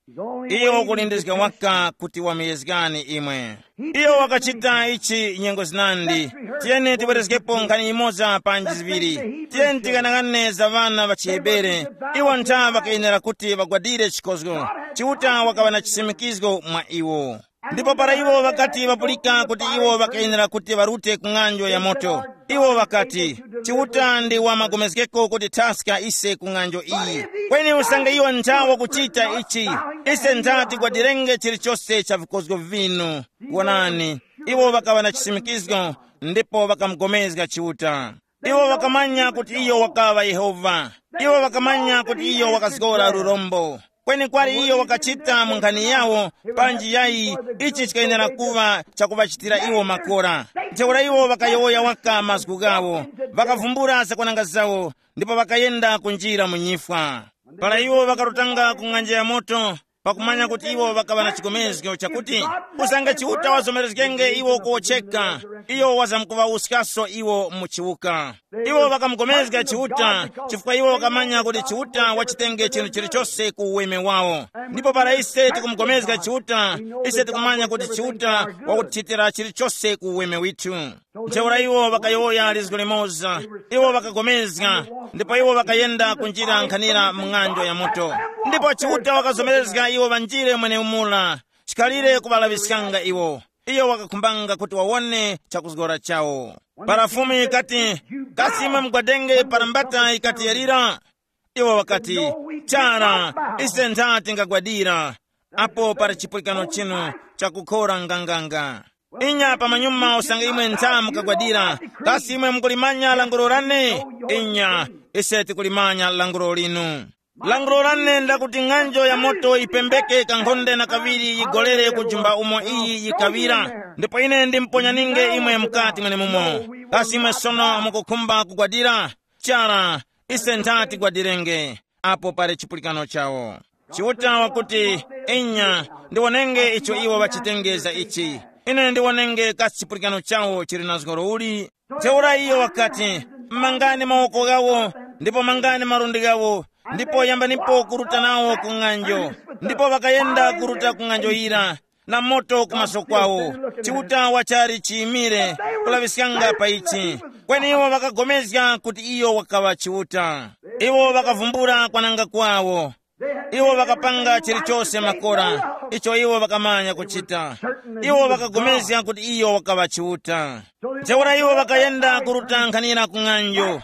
Iyo wakulindizga waka kuti wamuyezgani imwe. Iyo wakachita ichi nyengo zinandi. Tiyeni tibwerezgepo nkhani imoza panji ziŵiri. Tiyeni tikanang'ane za ŵana ŵa chihebere. Iwo ntha ŵakayenera kuti ŵagwadire chikozgo. Chiuta wakaŵa na chisimikizgo mwa iwo. Ndipo para iwo ŵakati ŵapulika kuti iwo ŵakayenera kuti ŵarute ku ng'anjo ya moto, iwo ŵakati, Chiuta ndi wa magomezgeko kuti thaska ise ku ng'anjo iyi. Kweni usange iwo ntha wakuchita ichi, ise ntha tigwadirenge chilichose cha vikozgo vinu. Wonani, iwo ŵakaŵa na chisimikizgo, ndipo ŵakamugomezga Chiuta. Iwo ŵakamanya kuti iyo wakaŵa Yehova. Iwo ŵakamanya kuti iyo wakazgora lurombo. Kweni kwali iyo wakachita mu nkhani yawo, panji yayi, ichi chikayenera kuŵa chakuŵachitira iwo makora. Ntheura iwo ŵakayowoya waka mazgu ghawo, ŵakavumbula zakwananga zawo, ndipo ŵakayenda kunjira mu nyifwa. Para iwo ŵakarutanga ku ng'anja ya moto, pakumanya kuti iwo ŵakaŵa na chigomezgo chakuti, usange Chiuta wazomerezgenge iwo kuwotcheka, iyo wazamkuŵawuskaso iwo mu chiwuka. Iwo ŵakamugomezga Chiuta chifukwa iwo ŵakamanya kuti Chiuta wachitenge chinthu chilichose ku uweme wawo. Ndipo para ise tikumugomezga Chiuta, ise tikumanya kuti Chiuta wakutichitira chilichose ku uweme withu. Ntheura iwo ŵakayowoya lizgu limoza. Iwo ŵakagomezga, ndipo iwo ŵakayenda kunjira nkhanira mu ng'anjo ya moto. Ndipo Chiuta wakazomerezga iwo ŵanjire mweneumula, chikhalire kuŵalaŵiskanga iwo. Iyo wakakhumbanga kuti wawone chakuzgora chawo. Para Fumu yikati, kasi imwe mugwadenge para mbata yikati yalira? Iwo ŵakati, chara, ise ntha tingagwadira. Apo pali chipulikano chinu chakukhora nganganga. Inya pamanyuma usange imwe ntha mukagwadira, kasi imwe mukulimanya languro lane? Inya, ise tikulimanya languro linu. Languro lane ndakuti ng'anjo ya moto yipembeke kankhonde na kaŵiri yigolere ku jumba umo iyi yikaŵira, ndipo ine ndimponyaninge imwe mukati mwenemumo. Kasi imwe sono mukukhumba kugwadira? Chara, ise ntha tigwadirenge. Apo pali chipulikano chawo. Chiuta wakuti, inya, ndiwonenge icho iwo ŵachitengeza ichi. Ine ndiwonenge kasi chipulikano chawo chili na zgoro uli. Ntheura iyo wakati, mangani mawoko ghawo, ndipo mangani malundi ghawo, ndipo yambanipo kuruta nawo ku ng'anjo. Ndipo ŵakayenda kuruta ku ng'anjo yira, na moto kumaso kwawo. Chiuta wachali chiyimire kulaŵiskanga pa ichi. Kweni iwo ŵakagomezga kuti iyo wakaŵa Chiuta. Iwo ŵakavumbula kwananga kwawo. Iwo ŵakapanga chilichose makora icho iwo ŵakamanya kuchita. Iwo ŵakagomezga kuti iyo wakaŵa Chiuta. Ntheura iwo ŵakayenda kuruta nkhanira ku ng'anjo,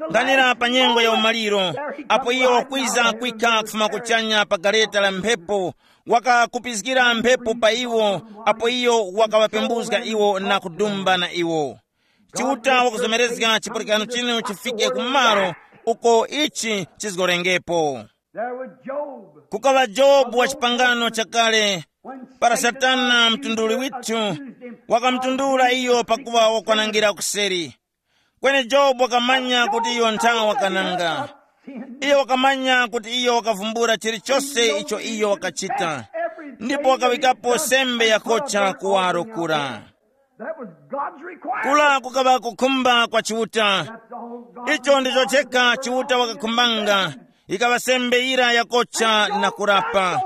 nkhanira pa nyengo ya umaliro, apo iyo wakwiza kwikha kufuma kuchanya pa gareta la mphepo, wakakupizgira mphepo pa iwo, apo iyo wakaŵapembuzga iwo na kudumba na iwo. Chiuta wakuzomerezga chipulikano chinu chifike ku malo uko ichi chizgolengepo. There was Job. Kukaŵa Jobu wa chipangano chakale, para Satana mtunduli withu wakamutundula iyo pakuŵa wakwanangira kuseri. Kweni Jobu wakamanya kuti iyo nthawa wakananga. Iyo wakamanya kuti iyo wakavumbula chilichose icho iyo wakachita, ndipo wakawikapo sembe yakocha kuwaro kura. That was God's requirement. Kula kukaŵa kukhumba kwa Chiuta. That's all God. Icho ndicho cheka Chiuta wakakhumbanga, ikaŵa sembe yira yakocha na kurapa.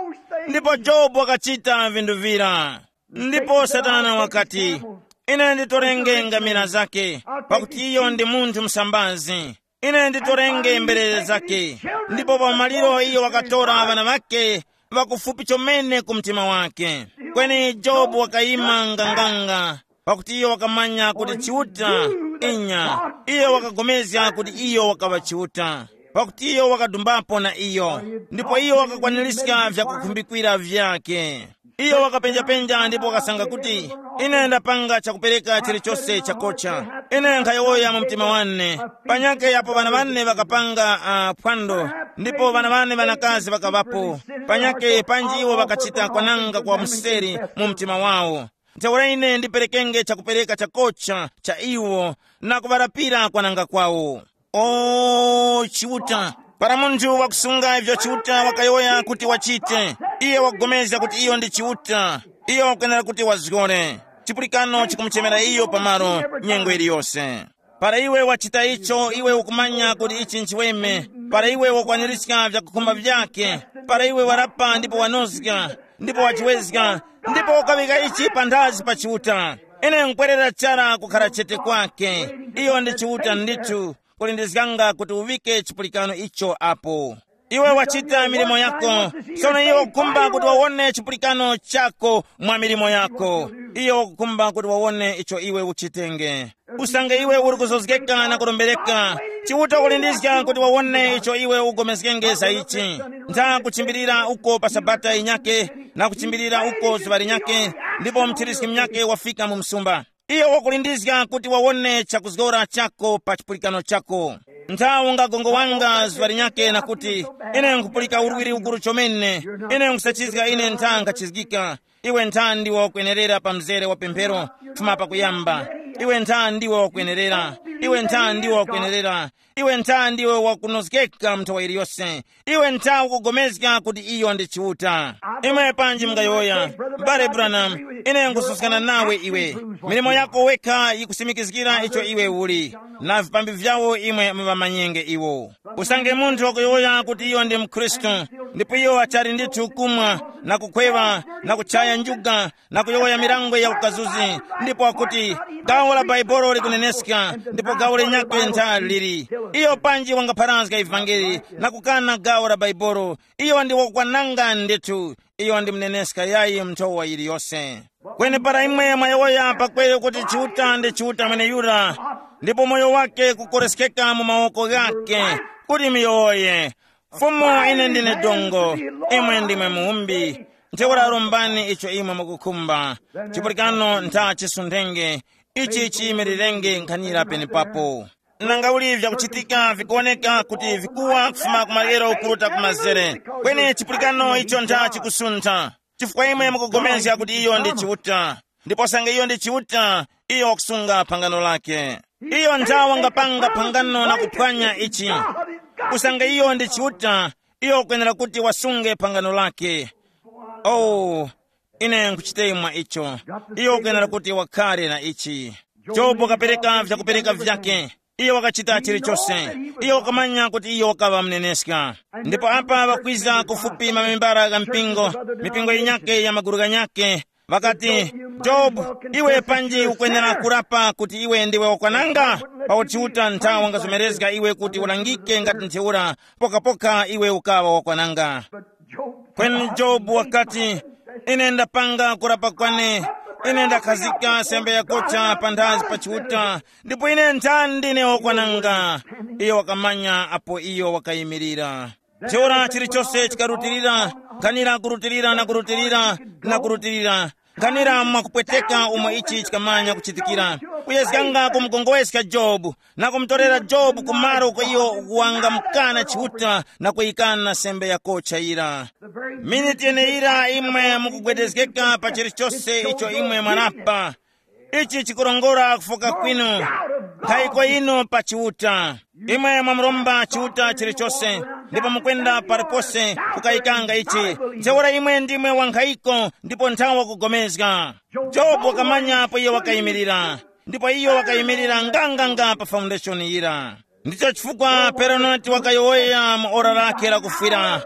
Ndipo Jobu wakachita vinthu vira. Ndipo Satana wakati, ine nditorenge ngamira zake, pakuti iyo ndi munthu msambazi. Ine nditorenge mberere zake. Ndipo pa maliro iyo wakatora ŵana ŵake ŵakufupi chomene ku mtima wake. Kweni Jobu wakayima nganganga, pakuti iyo wakamanya kuti Chiuta, inya, iyo wakagomezga kuti iyo wakaŵa Chiuta, pakuti iyo wakadumbapo na iyo, ndipo iyo wakakwaniska vyakukhumbikwira vyake. Iyo wakapenjapenja ndipo wakasanga kuti, ine ndapanga chakupereka chilichose chakocha. Ine nkhayowoya mu mtima wane, panyake apo ŵana wane ŵakapanga uh, phwando, ndipo ŵana wane ŵanakazi ŵakaŵapo, panyake panji iwo ŵakachita kwananga kwa mseri mu mtima wawo. Ntheura ine ndiperekenge chakupereka chakocha cha iwo, na kuŵarapira kwananga kwawo. O Chiuta, para munthu wakusunga ivyo Chiuta wakayowoya kuti wachite, iye wakugomezga kuti iyo ndi Chiuta, iye wakwenera kuti wazgore. Chipulikano chikumuchemera iyo pamalo nyengo iliyose. Para iwe wachita icho, iwe ukumanya kuti ichi nchiweme. Para iwe wakwanirizga vyakukhumba vyake, para iwe warapa ndipo wanozga, ndipo wachiwezga, ndipo ukaŵika ichi panthazi pa Chiuta. Ine nkwerera chara kukhala chete kwake. Iyo ndi Chiuta ndithu, kulindizganga kuti uŵike chipulikano icho apo. Iwe wachita milimo yako. Sono iwe ukukhumba kuti wawone chipulikano chako mwa milimo yako. Iyo ukukhumba kuti wawone icho iwe uchitenge. Usange iwe uri kuzozgeka na kurombereka, Chiuta ukulindizga kuti wawone icho iwe ugomezgenge za ichi. Ntha kuchimbilira uko pa sabata yinyake, na kuchimbilira uko zuŵa linyake, ndipo mthiriski munyake wafika mu msumba. Iyo wakulindizga kuti wawone chakuzgora chako pa chipulikano chako. Ntha ungagongowanga zuŵa linyake na kuti, ine nkhupulika urwiri ukuru chomene, ine nkhusachizga, ine ntha nkhachizgika. Iwe ntha ndiwe wakwenerera pa mzere wa pemphero, kufuma pakuyamba. Iwe ntha ndiwe wakwenerera. Iwe ntha ndiwe wakwenerera. Iwe ntha ndiwe wakunozgeka mu nthawi iliyose. Iwe ntha ukugomezga kuti iyo ndi Chiuta. Imwe panji mungayowoya, m'bale Branham, ine nkususkana nawe iwe. Milimo yako wekha yikusimikizgira icho iwe uli, na vipambi vyawo imwe muŵamanyenge iwo. Usange munthu wakuyowoya kuti iyo ndi mkhristu, ndipo iyo achali ndithu kumwa, na kukhwewa, na kuchaya njuga, na kuyowoya mirango ya ukazuzi, ndipo wakuti, gawo la Baibolo likuneneska, ndipo gawo lenyakwe ntha lili. Iyo panji wangapharazga ivangeli na kukana gawo la Baibolo, iyo ndi wakwananga ndithu. Iyo ndi muneneska yayi mnthowa yiliyose. Kweni para imwe mwayowoya pakweyo kuti Chiuta ndi Chiuta mweneyura, ndipo moyo wake kukoreskeka mu mawoko ghake, kuti muyowoye, Fumu, ine ndine dongo, imwe ndimwe muwumbi. Ntheura rombani icho imwe mukukhumba. Chipulikano ntha chisundenge, ichi chiyimirirenge nkhanira penepapo. Nanga uli vyakuchitika vikuwoneka kuti vikuwa kufuma ku maryero kuruta ku mazere. Kweni chipulikano icho ntha chikusuntha. Chifukwa imwe mukugomezga kuti iyo ndi Chiuta. Ndipo sange iyo ndi Chiuta, iyo wakusunga phangano lake. Iyo ntha wangapanga phangano na kuphwanya ichi. Usange iyo ndi Chiuta, iyo wakwenera kuti wasunge phangano lake. Oh, ine nkuchiteye mwa icho. Iyo wakwenera kuti wakhare na ichi. Jobu wakapereka vyakupereka vyake. Iyo wakachita chilichose. Iyo wakamanya kuti iyo wakaŵa mneneska. Ndipo apa ŵakwiza kufupi mamembara gha mpingo, mipingo yinyake ya maguru ghanyake, ŵakati, Jobu, iwe panji ukwenera kurapa kuti iwe ndiwe wakwananga? Pakuti Chiuta ntha wangazomerezga iwe kuti ulangike ngati ntheura, pokapoka iwe ukaŵa wakwananga. Kweni Jobu wakati, ine ndapanga kurapa kwane, ine ndakhazika sembe yakocha panthazi pa Chiuta, ndipo ine ntha ndine wakwananga. Iyo wakamanya apo iyo wakayimirira. Ntheura chilichose chikarutilira, nkhanira kurutilira na kurutilira na kurutilira, nkhanira mwakupweteka umo ichi chikamanya kuchitikira. Kuyezganga kumukongweska Jobu, na kumutorera Jobu ku malo uko iyo wangamukana Chiuta na kuyikana sembe yakocha yira. Miniti yeneyira imwe mukugwedezgeka pa chilichose icho imwe mwarapa. Ichi chikurongora kufoka kwinu, nkhayiko yinu pa Chiuta. Imwe mwamuromba Chiuta chilichose, ndipo mukwenda palipose kukayikanga ichi. Ntheura imwe ndimwe wankhayiko ndipo nthawa kugomezga. Jobu wakamanya apo iyo wakayimirira, ndipo iyo wakayimirira nganganga pa foundation yira. Ndicho chifukwa Peronati wakayowoya mu ora lakhe lakufwira,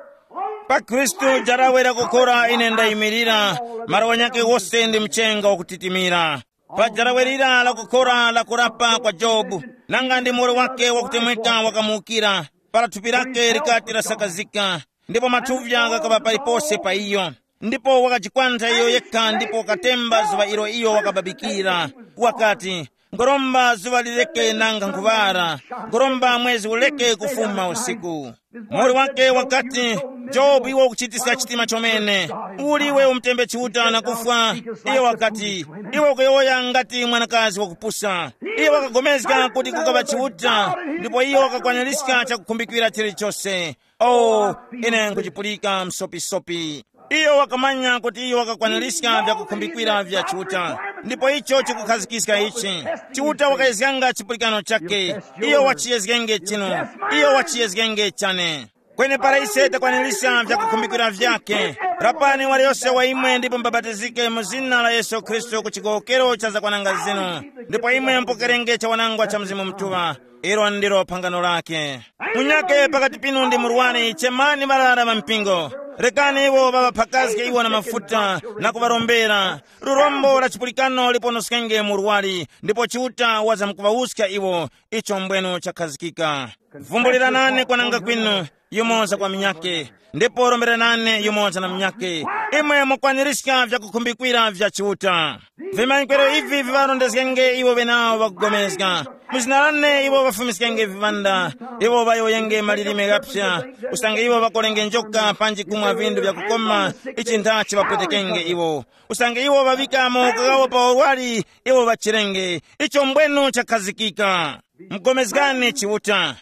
pa Khristu jarawe lakukhora ine ndayimirira, malo wanyakhe wose ndi mchenga wakutitimira. Pa jarawe lira la kukhora la kurapa kwa Jobu, nanga ndi muwoli wake wakutemweka wakamuwukira, para thupi lake likati lasakazika, ndipo mathuvya ghakaŵa palipose pa iyo. Ndipo wakajikwantha iyo yekha ndipo wakatemba zuŵa ilo iyo wakababikira. Wakati, ngoromba zuŵa lireke nanga nkhuŵara, ngoromba mwezi ureke kufuma usiku. Muwoli wake wakati, Jobu, iwe ukuchitiska chitima chomene. Uli iwe umutembe Chiuta na kufwa? Iye wakati, iwe ukuyowoya ngati mwanakazi wakupusa. Iye wakagomezga kuti kukaŵa Chiuta, ndipo iye wakakwaniska chakukhumbikira chilichose. Oh, ine nkuchipulika msopisopi. Iyo wakamanya kuti iyo wakakwaniska vyakukhumbikira vya Chiuta, ndipo icho chikukhazikiska ichi. Chiuta wakayezganga chipulikano chake. Iyo wachiyezgenge chinu. Iyo wachiyezgenge chane. Kweni para ise takwanirisa vyakukhumbikira vyake, rapani waliyose wa imwe ndipo mbabatizike mu zina la Yesu Khristu ku chigowokero cha zakwananga zinu, ndipo imwe mupokerenge chawanangwa cha Mzimu Mutuŵa. Ilo ndilo phangano lake. Munyake pakati pinu ndi murwani, chemani ŵarara ŵa mpingo. Rekani iwo ŵaŵaphakazge iwo na mafuta na kuŵarombera. Lurombo la chipulikano liponoskenge murwari, ndipo Chiuta wazamkuŵawuska iwo. Icho mbwenu chakhazikika. Vumbuliranani kwananga kwinu, yumoza kwa minyake, ndipo romberanani yumoza na minyake. Imwe mukwanirizga vyakukhumbikira vya Chiuta. Vimanyikwero ivi viŵarondezgenge iwo ŵenawo ŵakugomezga. Mu zina lane iwo ŵafumiskenge viŵanda, iwo ŵayowoyenge malilime ghaphya, usange iwo ŵakolenge njoka panji kumwa vindu vyakukoma, ichi nthachi ŵapwetekenge iwo. Usange iwo ŵaŵika mawoko ghawo pa urwari, iwo ŵachirenge. Icho mbwenu chakhazikika. Mugomezgani Chiuta.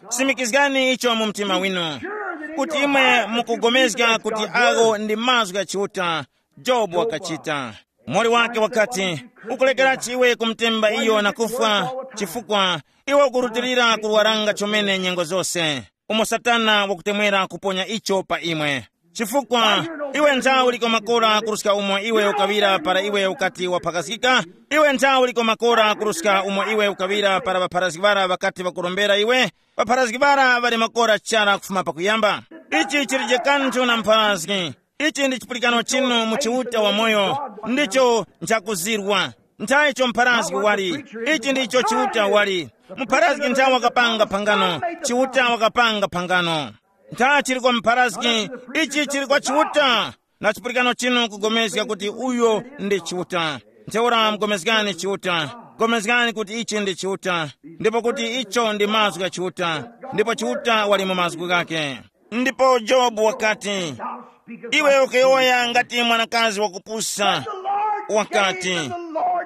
Simikizgani icho mu mtima winu, kuti imwe mukugomezga kuti agho ndi mazgu gha Chiuta. Jobu wakachita. Moli wake wakati, ukulekerachi iwe kumutemba iyo na kufwa, chifukwa iwe ukurutilira kurwaranga chomene nyengo zose, umo Satana wakutemwera kuponya icho pa imwe. Chifukwa iwe nthawi liko makora kuruska umo iwe ukaŵira para iwe ukati waphakazgika. Iwe nthawi liko makora kuruska umo iwe ukaŵira para ŵapharazgi ŵara ŵakati ŵakurombera iwe. Ŵapharazgi ŵara ŵali makora chara kufuma pakuyamba. Ichi chilije kanthu na mpharazgi. Ichi ndi chipulikano chinu mu Chiuta wamoyo, ndicho nchakuzirwa. Nthayicho mpharazgi wali. Ichi ndicho Chiuta wali. Mpharazgi nthawe wakapanga phangano. Chiuta wakapanga phangano. Ntha chili kwa mpharazgi, ichi chili kwa Chiuta. Na chipulikano chinu kugomezga kuti uyo ndi Chiuta. Ntheura mugomezgani Chiuta. Gomezgani kuti ichi ndi Chiuta, ndipo kuti icho ndi mazgu gha Chiuta, ndipo Chiuta wali mu mazgu ghake. Ndipo Jobu wakati, iwe ukuyowoya ngati mwanakazi wakupusa. Wakati,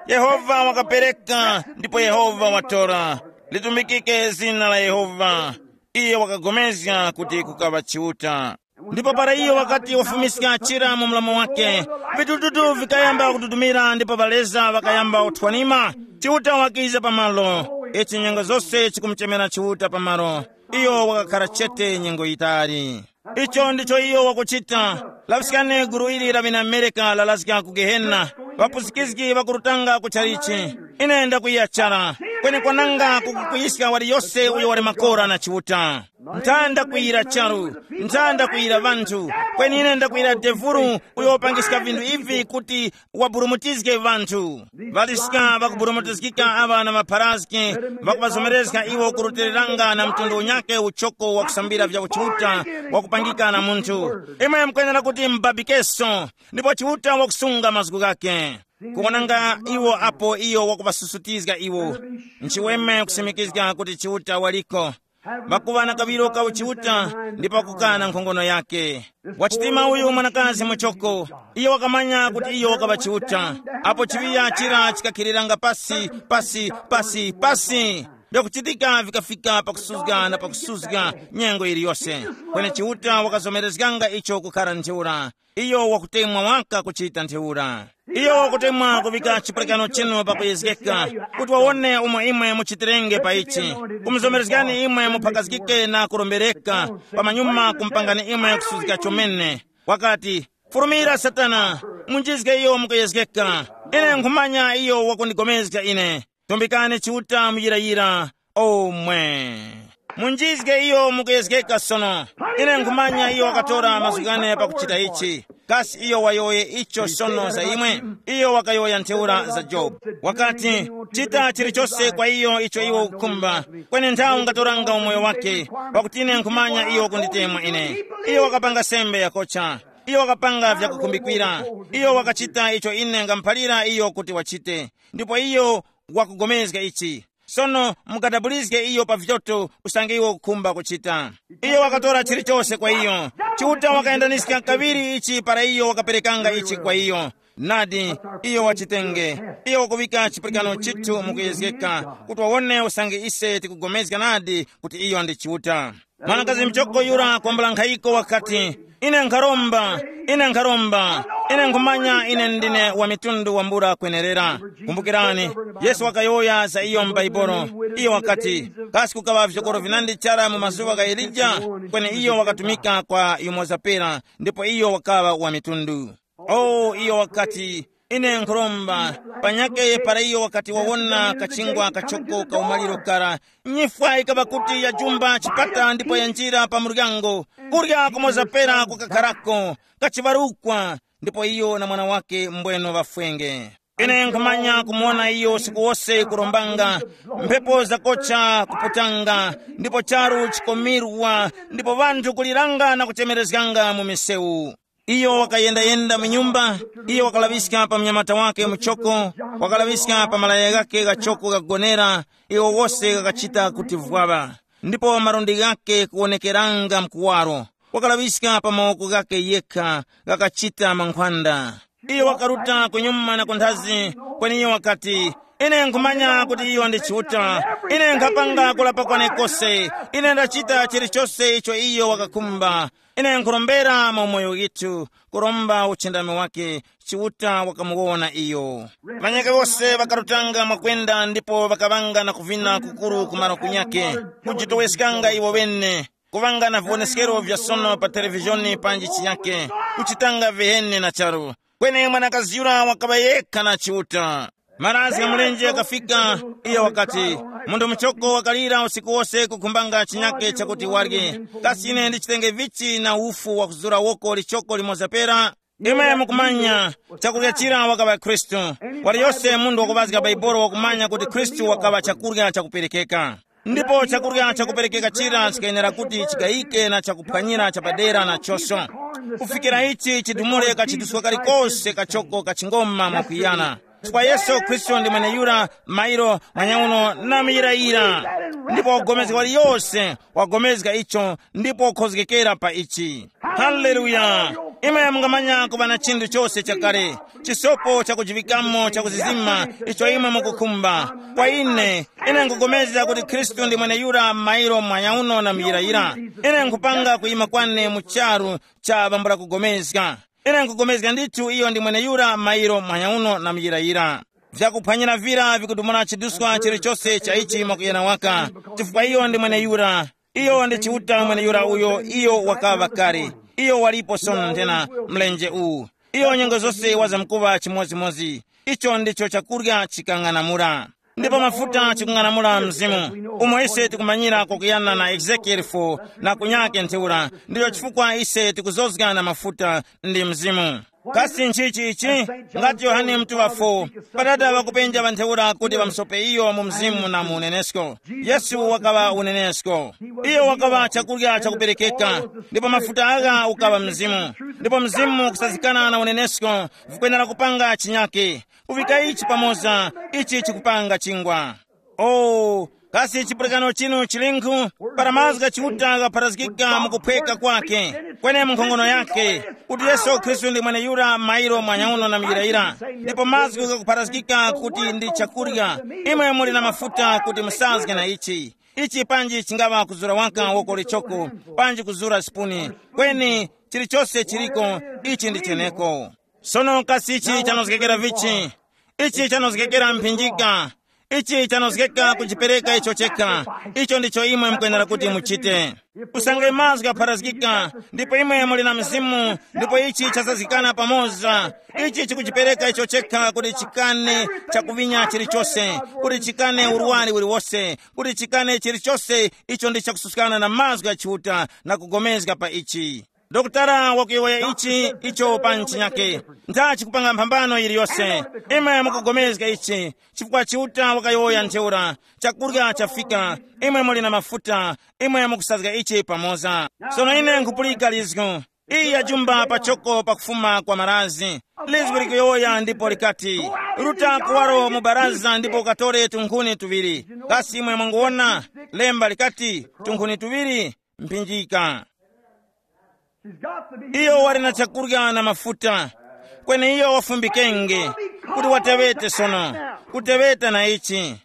Yehova wakapereka ndipo Yehova watora. Litumikike zina la Yehova. Iye wakagomezga kuti kukaŵa Chiuta. Ndipo para iyo wakati wafumiska chira mu mlomo wake, vitututu vikayamba kududumira ndipo ŵaleza ŵakayamba kuthwanima. Chiuta wakiza pamalo. Ichi nyengo zose chikumuchemera Chiuta pamalo. Iyo wakakhara chete nyengo yitali. Icho ndicho iyo wakuchita. Laŵiskani gulu ili la ŵinamereka lalazga ku Gehena. Ŵapusikizgi ŵakurutanga ku chalichi. Ine ndakwiya chara. Kweni kwananga kukukuyiska waliyose uyo wali makora na Chiuta. Nthanda kwiyira charu. Nthanda kwiyira ŵanthu. Kweni ine ndakwiyira devuru, uyo wapangiska vinthu ivi kuti waburumutizge ŵanthu. Ŵaliska ŵakuburumutizgika aŵa na mapharazgi, ŵakuŵazomerezga iwo kurutiliranga na mtundu unyakhe uchoko wakusambira vya Chiuta wakupangika na munthu. Imwe mukwenera kuti mubabikeso, ndipo Chiuta wakusunga mazgu ghakhe. Kuwonanga iwo apo iyo wakuŵasusutizga iwo. Nchiweme kusimikizga kuti Chiuta waliko. Ŵakuŵa na kaŵiro ka uchiuta, ndipo wakukana nkhongono yakhe. Wachitima uyu mwanakazi muchoko, iyo wakamanya kuti iyo wakaŵa Chiuta. Apo chiŵiya chira chikakhiliranga pasi, pasi, pasi, pasi, vyakuchitika vikafika pakusuzga na pakusuzga nyengo yiliyose. Kweni Chiuta wakazomerezganga icho kukhara ntheura. Iyo wakutemwa waka kuchita ntheura. Iyo wakutemwa kuvika chipulikano chinu pakuyezgeka, kuti wawone umo imwe muchitirenge pa ichi. Kumuzomerezgani imwe muphakazgike na kurombereka, pamanyuma kumupangani imwe kusuzgika chomene. Wakati, furumira Satana, munjizge iyo mukuyezgeka. Ine nkhumanya iyo wakundigomezga ine. Tumbikani Chiuta muyirayira omwe. Unjizge iyo mukuyezgeka sono. Ine nkhumanya iyo wakatora mazgu ghane pakuchita ichi. Kasi iyo wayowoye icho sono za imwe? Iyo wakayowoya ntheura za Jobu. Wakati, chita chilichose kwa iyo icho iwe ukukhumba, kweni nthawi ungatoranga umoyo wake, pakuti ine nkhumanya iyo kunditemwa ine. Iyo wakapanga sembe yakocha. Iyo wakapanga vyakukhumbikira. Iyo wakachita icho ine ngamuphalira iyo kuti wachite. Ndipo iyo wakugomezga ichi. Sono mukadabulizge iyo pa vyoto usange iwo ukukhumba kuchita. Iyo wakatora chilichose kwa iyo. Chiuta wakayendaniska kaŵiri ichi para iyo wakaperekanga ichi kwa iyo. Nadi, iyo wachitenge. Iyo wakuŵika chipulikano chithu mukuyezgeka kuti wawone usange ise tikugomezga nadi kuti iyo ndi Chiuta. Mwanakazi mchoko yura kwambula nkhayiko wakati, ine nkharomba, ine nkharomba, ine nkhumanya ine ndine wa mitundu wambula kwenerera. Kumbukirani, Yesu wakayowoya za iyo m'Baibolo. Iyo wakati, kasi kukaŵa vyokoro vinandi chara mu mazuŵa gha Elija? Kweni iyo wakatumika kwa yumoza pera, ndipo iyo wakaŵa wa mitundu. Oh, iyo wakati, ine nkhuromba, panyakhe para iyo wakati wawona kachingwa kachoko ka umaliro kara, nyifwa yikaŵa kuti yajumba chipata ndipo yanjira pa muryango, kurya kumoza pera kukakharako, kachiŵarukwa, ndipo iyo na mwana wake mbweno ŵafwenge. Ine nkhumanya kumuwona iyo usiku wose kurombanga, mphepo zakocha kuputanga, ndipo charu chikomirwa, ndipo ŵanthu kuliranga na kuchemerezganga mu misewu. Iyo wakayendayenda mu nyumba, iyo wakalaŵiska pa mnyamata wake muchoko, wakalaŵiska pa malaya ghake ghachoko ghakugonera, iwo wose ghakachita kuti vwaŵa, ndipo malundi ghake kuwonekeranga mkuwaro, wakalaŵiska pa mawoko ghake yekha ghakachita mankhwanda. Iyo wakaruta kunyuma na kunthazi, kweni iyo wakati, ine nkhumanya kuti iyo ndi Chiuta. Ine nkhapanga kulapa kwane kose. Ine ndachita chilichose icho iyo wakakhumba. Ine nkhurombera mu umoyo withu, kuromba uchindami wake, Chiuta wakamuwona iyo. Ŵanyakhe wose ŵakarutanga mwakwenda ndipo ŵakaŵanga na kuvina kukuru ku malo kunyakhe, kujitoweskanga iwo ŵene, kuŵanga na viwoneskero vya sono pa televizhoni panji chinyakhe, kuchitanga viheni na charu. Kweni mwanakazi yura wakaŵa yekha na Chiuta. Maranzi gha mulenje ghakafika, iyo wakati, munthu muchoko wakalira usiku wose kukhumbanga chinyake chakuti warye. Kasi ine ndichitenge vichi na ufu wakuzura woko lichoko limoza pera? Imwe mukumanya, chakurya chira wakaŵa Khristu. Waliyose munthu wakuŵazga Baibolo wakumanya kuti Khristu wakaŵa chakurya chakuperekeka. Ndipo chakurya chakuperekeka chira chikayenera kuti chikayike na chakuphwanyira chapadera na choso, kufikira ichi chidumule kachiduswa kalikose kachoko kachingoma mwakwiyana. Chifukwa Yesu Khristu ndi mweneyura mairo mwanyauno na muyirayira. Ndipo wagomezga waliyose, wagomezga icho ndipo wakhozgekera pa ichi. Haleluya! Imwe mungamanya kuŵa na chinthu chose chakale, chisopo chakujiŵikamo chakuzizima icho imwe mukukhumba. Kwa ine, ine nkugomezga kuti Khristu ndi mweneyura mairo mwanyauno na muyirayira. Ine nkupanga kuyima kwane mu charu cha ŵambula kugomezga. Ine nkugomezga ndithu iyo ndi mweneyura mairo mwanyauno na muyirayira. Vyakuphwanyira vira vikudumula chiduswa chilichose cha ichi mwakuyana waka, chifukwa iyo ndi mweneyura. Iyo ndi Chiuta mweneyura uyo iyo wakaŵa kale. Iyo walipo sono nthena mlenje uwu. Iyo nyengo zose wazamkuŵa chimodzimodzi. Icho ndicho chakurya chikang'anamula. Ndipo mafuta chikung'anamula mzimu. Umo ise tikumanyira kwakuyana na Ezekieli four na kunyake ntheura, ndicho chifukwa ise tikuzozga na mafuta ndi mzimu. Kasi nchichi ichi? Ngati Yohane Mutuŵa four, Padada ŵakupenja ŵa ntheura kuti ŵamusope iyo mu mzimu na mu unenesko. Yesu wakaŵa unenesko. Iyo wakaŵa chakurya chakuperekeka, ndipo mafuta agha ukaŵa mzimu. Ndipo mzimu kusazikana na unenesko vikwenera kupanga chinyake. Kuvika ichi pamoza, ichi chikupanga chingwa. Oh, kasi chipulikano chinu chilinkhu? Para mazgu gha Chiuta ghapharazgika mu kuphweka kwake, kweni mu nkhongono yake, kuti Yesu Khristu ndi mweneyura mairo mwanyauno na muyirayira, ndipo mazgu ghakupharazgika kuti ndi chakurya, imwe muli na mafuta kuti musazge na ichi. Ichi panji chingava kuzura waka woko lichoko, panji kuzura sipuni, kweni chilichose chiliko, ichi ndi cheneko. Sono kasi ichi chanozgekera vichi? Ichi chanozgekera mphinjika. Ichi chanozgeka kuchipereka icho chekha. Icho ndicho imwe mukwenera kuti muchite. Usange mazgu apharazgika, ndipo imwe muli na mzimu, ndipo ichi chasazgikana pamoza. Ichi chikuchipereka icho chekha kuti chikane chakuvinya chilichose, kuti chikane urwari uliwose, kuti chikane chilichose icho ndi chakususkana na mazgu gha Chiuta na kugomezga pa ichi. Dokotala wakuyowoya ichi icho pa nchinyake, nda chikupanga mphambano yiliyose. Imwe mukugomezga ichi, chifukwa Chiuta wakayowoya ntheura, chakurya chafika, imwe muli na mafuta, imwe mukusazga ichi pamoza. Sono ine nkhupulika lizgu. Iyi yajumba pachoko pakufuma kwa marazi. Lizgu likuyowoya ndipo likati, ruta kuwaro mu baraza ndipo ukatore tunkhuni tuŵiri. Kasi imwe mwanguwona? Lemba likati, tunkhuni tuŵiri, mphinjika. Iyo wali na chakurya na mafuta, kweni iyo wafumbikenge kuti watewete sono, kuteweta na ichi.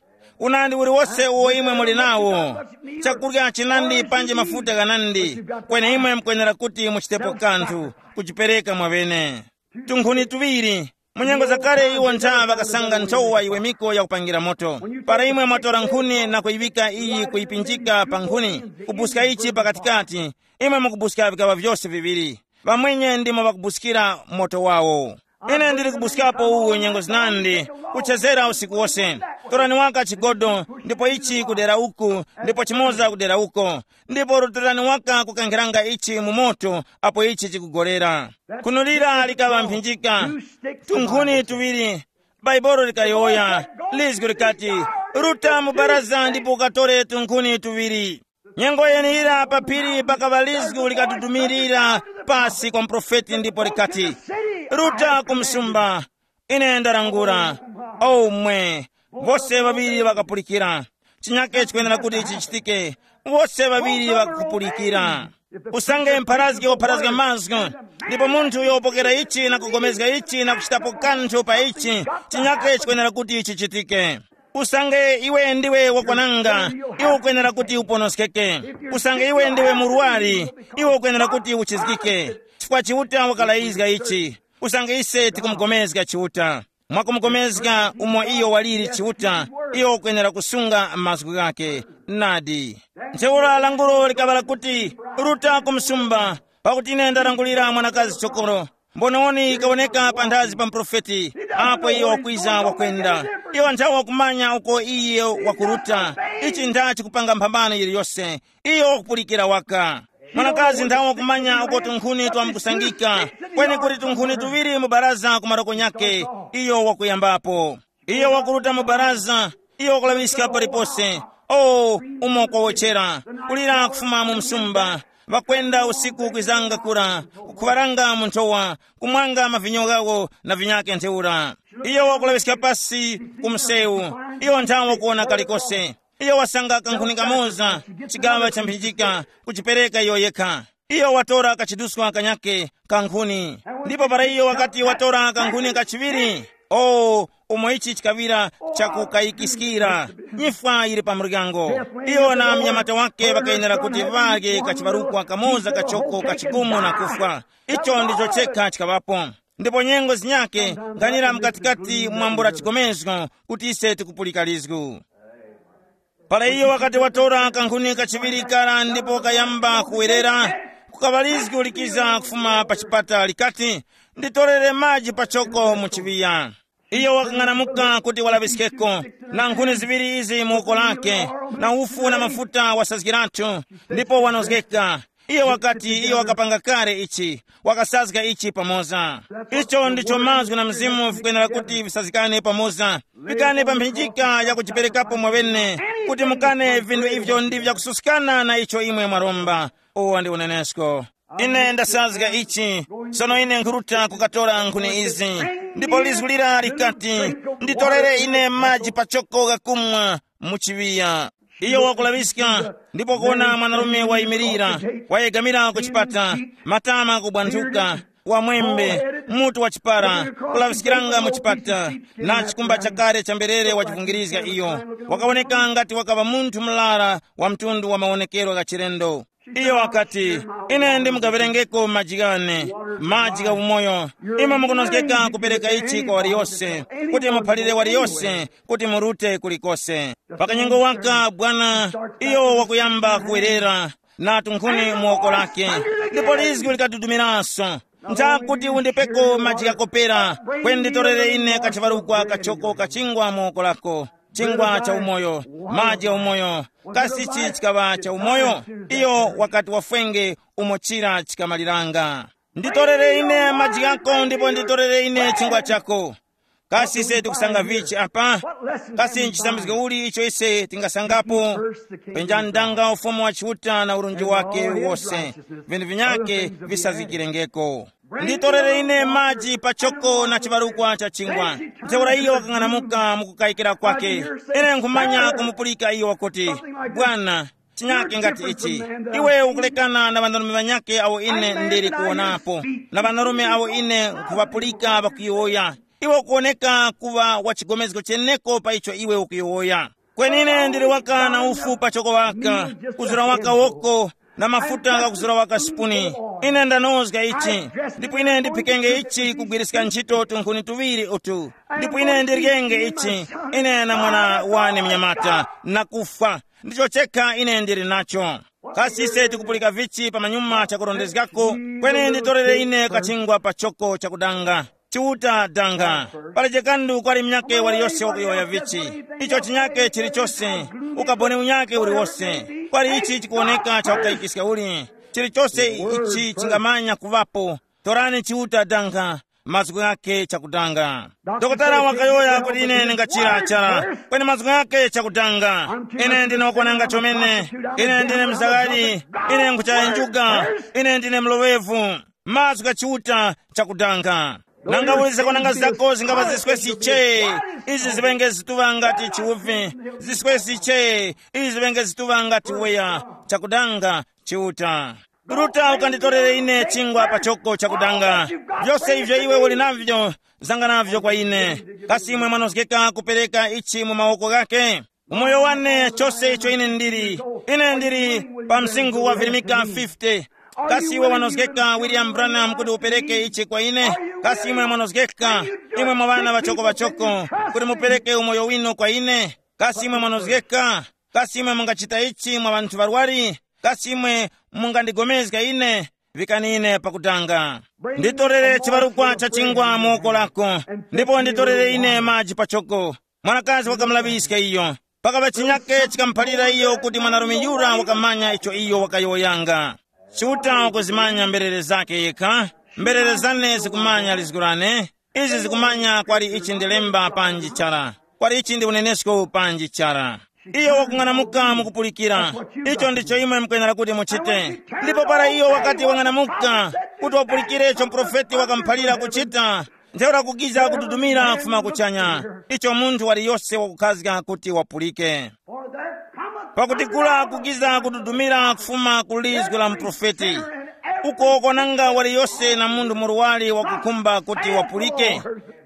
Unandi uliwose uwo imwe muli nawo, chakurya chinandi panji mafuta ghanandi, kweni imwe mukwenera kuti muchitepo kanthu, kuchipereka mwaŵene. Tunkhuni tuŵiri. Mu nyengo zakale iwo ntha ŵakasanga nthowa yiwemiko yakupangira moto. Para imwe mwatora nkhuni na kuyiŵika iyi kuyipinjika pa nkhuni, kubuska ichi pakatikati, imwe mukubuska vikaŵa vyose viŵiri. Ŵamwenye ndimo ŵakubuskira moto wawo. Ine ndili kubuskapo uwu nyengo zinandi, kuchezera usiku wose. Torani waka chigodo, ndipo ichi kudera uku, ndipo chimoza kudera uko, ndipo rutorani waka kukankhiranga ichi mu moto apo ichi chikugolera. Khunulira likaŵa mphinjika, tunkhuni tuŵiri. Bhaibuli likayowoya, lizgu likati, ruta mu baraza ndipo ukatore tunkhuni tuŵiri. Nyengo yeniyira pa phiri pakaŵa lizgu likadudumirira pasi kwa muprofeti ndipo likati, ruta ku msumba, ine ndarangura. Omwe, vose ŵaŵiri ŵakapulikira. Chinyake chikwenera kuti chichitike, vose ŵaŵiri ŵakupulikira. Usange mpharazgi wapharazga mazgu, ndipo munthu uyo wapokera ichi na kugomezga ichi na kuchitapo kanthu pa ichi, chinyake chikwenera kuti chichitike. Usange iwe ndiwe wakwananga, iwe ukwenera kuti uponoskeke. Usange iwe ndiwe murwari, iwe ukwenera kuti uchizgike. Chifukwa Chiuta wakalayizga ichi. Usange ise tikumugomezga Chiuta, mwakumukomezga umo iyo waliri Chiuta, iyo ukwenera kusunga mazgu ghakhe. Nadi. Ntheura lankhulo likaŵa lakuti, ruta ku msumba, pakuti ine ndarangulira mwanakazi chokoro. Mbononi ikawoneka panthazi pa muprofeti, apo iyo wakwiza wakwenda. Iyo nthawe wakumanya uko iye wakuruta. Ichi ntha chikupanga mphambano yiliyose. Iyo wakupulikira waka. Mwanakazi nthawe wakumanya uko tunkhuni twamkusangika, kweni kuli tunkhuni tuŵiri mu baraza ku maroko nyakhe, iyo wakuyambapo. Iyo wakuruta mu baraza, iyo wakulaŵiska palipose. O, umo kwawochera, kulira kufuma mu msumba. Ŵakwenda usiku kwizanga kura, kukhuŵaranga mu nthowa, kumwanga mavinyo ghawo na vinyakhe ntheura. Iyo wakulaŵiska pasi ku msewu, iyo nthawe wakuwona kalikose. Iyo wasanga kankhuni kamoza, chigaŵa cha mphinjika, kuchipereka iyo yekha. Iyo watora kachiduswa kanyakhe ka nkhuni. Ndipo para iyo wakati watora kankhuni kachiŵiri, o, umo ichi chikaŵira chakukayikiskira, nyifwa yili pa muryango. Iyo na mnyamata wake ŵakayenera kuti ŵarye kachiŵarukwa kamoza kachoko kachikumu na kufwa. Icho ndicho chekha chikaŵapo. Ndipo nyengo zinyakhe nkhanira mkatikati mwambula chigomezgo kuti ise tikupulika lizgu. Para iyo wakati watora kankhuni kachiŵiri kara ndipo kayamba kuwerera, kukaŵa lizgu likiza kufuma pa chipata likati, nditorere maji pachoko mu chiŵiya. Iyo wakang'anamuka kuti walaŵiskeko, na nkhuni ziŵiri izi mu woko lake, na ufu na mafuta wasazgirathu, ndipo wanozgeka. Iyo wakati iyo wakapanga kale ichi, wakasazga ichi pamoza. Icho ndicho mazgu na mzimu vikwenera kuti visazgikane pamoza. Pikani pa mphinjika ya kujiperekapo mwaŵene, kuti mukane vinthu ivyo ndi vyakususkana na icho imwe mwaromba. Uwo ndi unenesko. Ine ndasazga ichi, sono ine nkhuruta kukatora nkhuni izi. Ndipo lizgu lira likati, nditorere ine maji pachoko ghakumwa mu chiŵiya. Iyo wakulaŵiska, ndipo kuwona mwanarume wayimirira, wayegamira ku chipata, matama kubwanthuka, wamwembe, mutu wa chipara, kulaŵiskiranga mu chipata, na chikumba chakale cha mberere wachivungirizga iyo. Wakawoneka ngati wakaŵa munthu murara wa mtundu wa mawonekero gha chilendo. Iyo wakati, ine ndimugaŵerengeko maji ghane, maji gha umoyo. Imwe mukunozgeka kupereka ichi kwa waliyose, kuti muphalire waliyose kuti murute kulikose. Pakanyengo waka bwana, iyo wakuyamba kuwerera na tunkhuni mu woko lake, ndipo lizgu likadudumiranso. Nchakuti undipeko maji ghakopera, kweni nditorere ine kachiŵarukwa kachoko kachingwa mu woko lako, chingwa cha umoyo, maji gha umoyo. Kasi ichi chikaŵa cha umoyo? Iyo wakati wafwenge umo chira chikamaliranga. Nditorere ine maji ghako ndipo nditorere ine chingwa chako. Kasi ise tikusanga vichi apa? Kasi nchisambizgo uli icho ise tingasangapo? Penjani ndanga ufumu wa Chiuta na urunji wake wose, vinthu vinyake visazgikirengeko. Nditorere ine maji pachoko na chibarukwa cha chingwa. Ntheura iyo wakang'anamuka mukukayikira kwake. Ine nkhumanya kumupulika iyo wakuti, bwana, chinyake ngati ichi. Iwe ukulekana na ŵanarume ŵanyake awo ine ndili kuwonapo, na ŵanarume awo ine nkhuŵapulika ŵakuyowoya. Iwe ukuwoneka kuŵa wa chigomezgo cheneko pa icho iwe ukuyowoya. Kweni ine ndili waka na ufu pachoko waka, kuzura waka woko, na mafuta ghakuzura waka sipuni. Ine ndanozga ichi, ndipo ine ndiphikenge ichi kugwiriska ntchito tunkhuni tuŵiri utu, ndipo ine ndiryenge ichi, ine na mwana wane mnyamata, na kufwa. Ndicho chekha ine ndili nacho. Kasi ise tikupulika vichi pa manyuma chakurondezgako? Kweni nditorere ine kachingwa pa choko chakudanga. Chiuta danga. Pali chikandu kwali mnyake waliyose wakuyowoya vichi. Icho chinyake chilichose, ukaboni unyake uliwose, kwali ichi chikuwoneka chakukayikiska uli, chilichose ichi chingamanya kuŵapo. Torani Chiuta danga, mazgu ghake chakudanga. Dokotala wakayowoya kuti ine ndingachira chara, kweni mazgu ghake chakudanga. Ine ndine wakwananga chomene. Ine ndine mzagari. Ine nkhuchayenjuga. Ine ndine mloŵevu. Mazgu gha Chiuta chakudanga. Nanga uli zakwananga zako zingapa ziswesi che, izi ziŵenge zituŵa ngati chiuvi. Ziswesi che, izi ziŵenge zituŵa ngati uweya. Chakudanga Chiuta. Ruta ukanditorere ine chingwa pachoko chakudanga. Vyose ivyo iwe uli navyo, zanga navyo kwa ine. Kasi imwe mwanozgeka kupereka ichi mu mawoko ghake? Umoyo wane, chose icho ine ndili. Ine ndili pa msinkhu wa virimika fifty. Kasi iwe wanozgeka William Branham kuti upereke ichi kwa ine? Kasi imwe mwanozgeka, imwe mwa ŵana ŵachoko ŵachoko, kuti mupereke umoyo winu kwa ine? Kasi imwe mwanozgeka? Kasi imwe mungachita ichi mwa ŵanthu ŵarwari? Kasi imwe mungandigomezga ine? Vikani ine pakutanga. Nditorere chibarukwa cha chingwa mu woko lako, ndipo nditorere ine maji pachoko. Mwanakazi wakamulaŵiska iyo. Pakaŵa chinyake chikamuphalira iyo kuti mwanarume yura wakamanya icho iyo wakayowoyanga. Chiuta wakuzimanya mberere zake yekha. Mberere zane zikumanya lizgu lane. Izi zikumanya kwali ichi ndi lemba panji chara, kwali ichi ndi unenesko panji chara. Iyo wakung'anamuka mukupulikira. Icho ndicho imwe mukwenera kuti muchite. Ndipo para iyo wakati wang'anamuka kuti wapulikire icho muprofeti wakamuphalira kuchita, ntheura kukiza kududumira kufuma kuchanya, icho munthu waliyose wakukhazga kuti wapulike. Pakuti kula kukiza kududumira kufuma ku lizgu la muprofeti, uko kwananga waliyose na munthu muruwali wakukhumba kuti wapulike.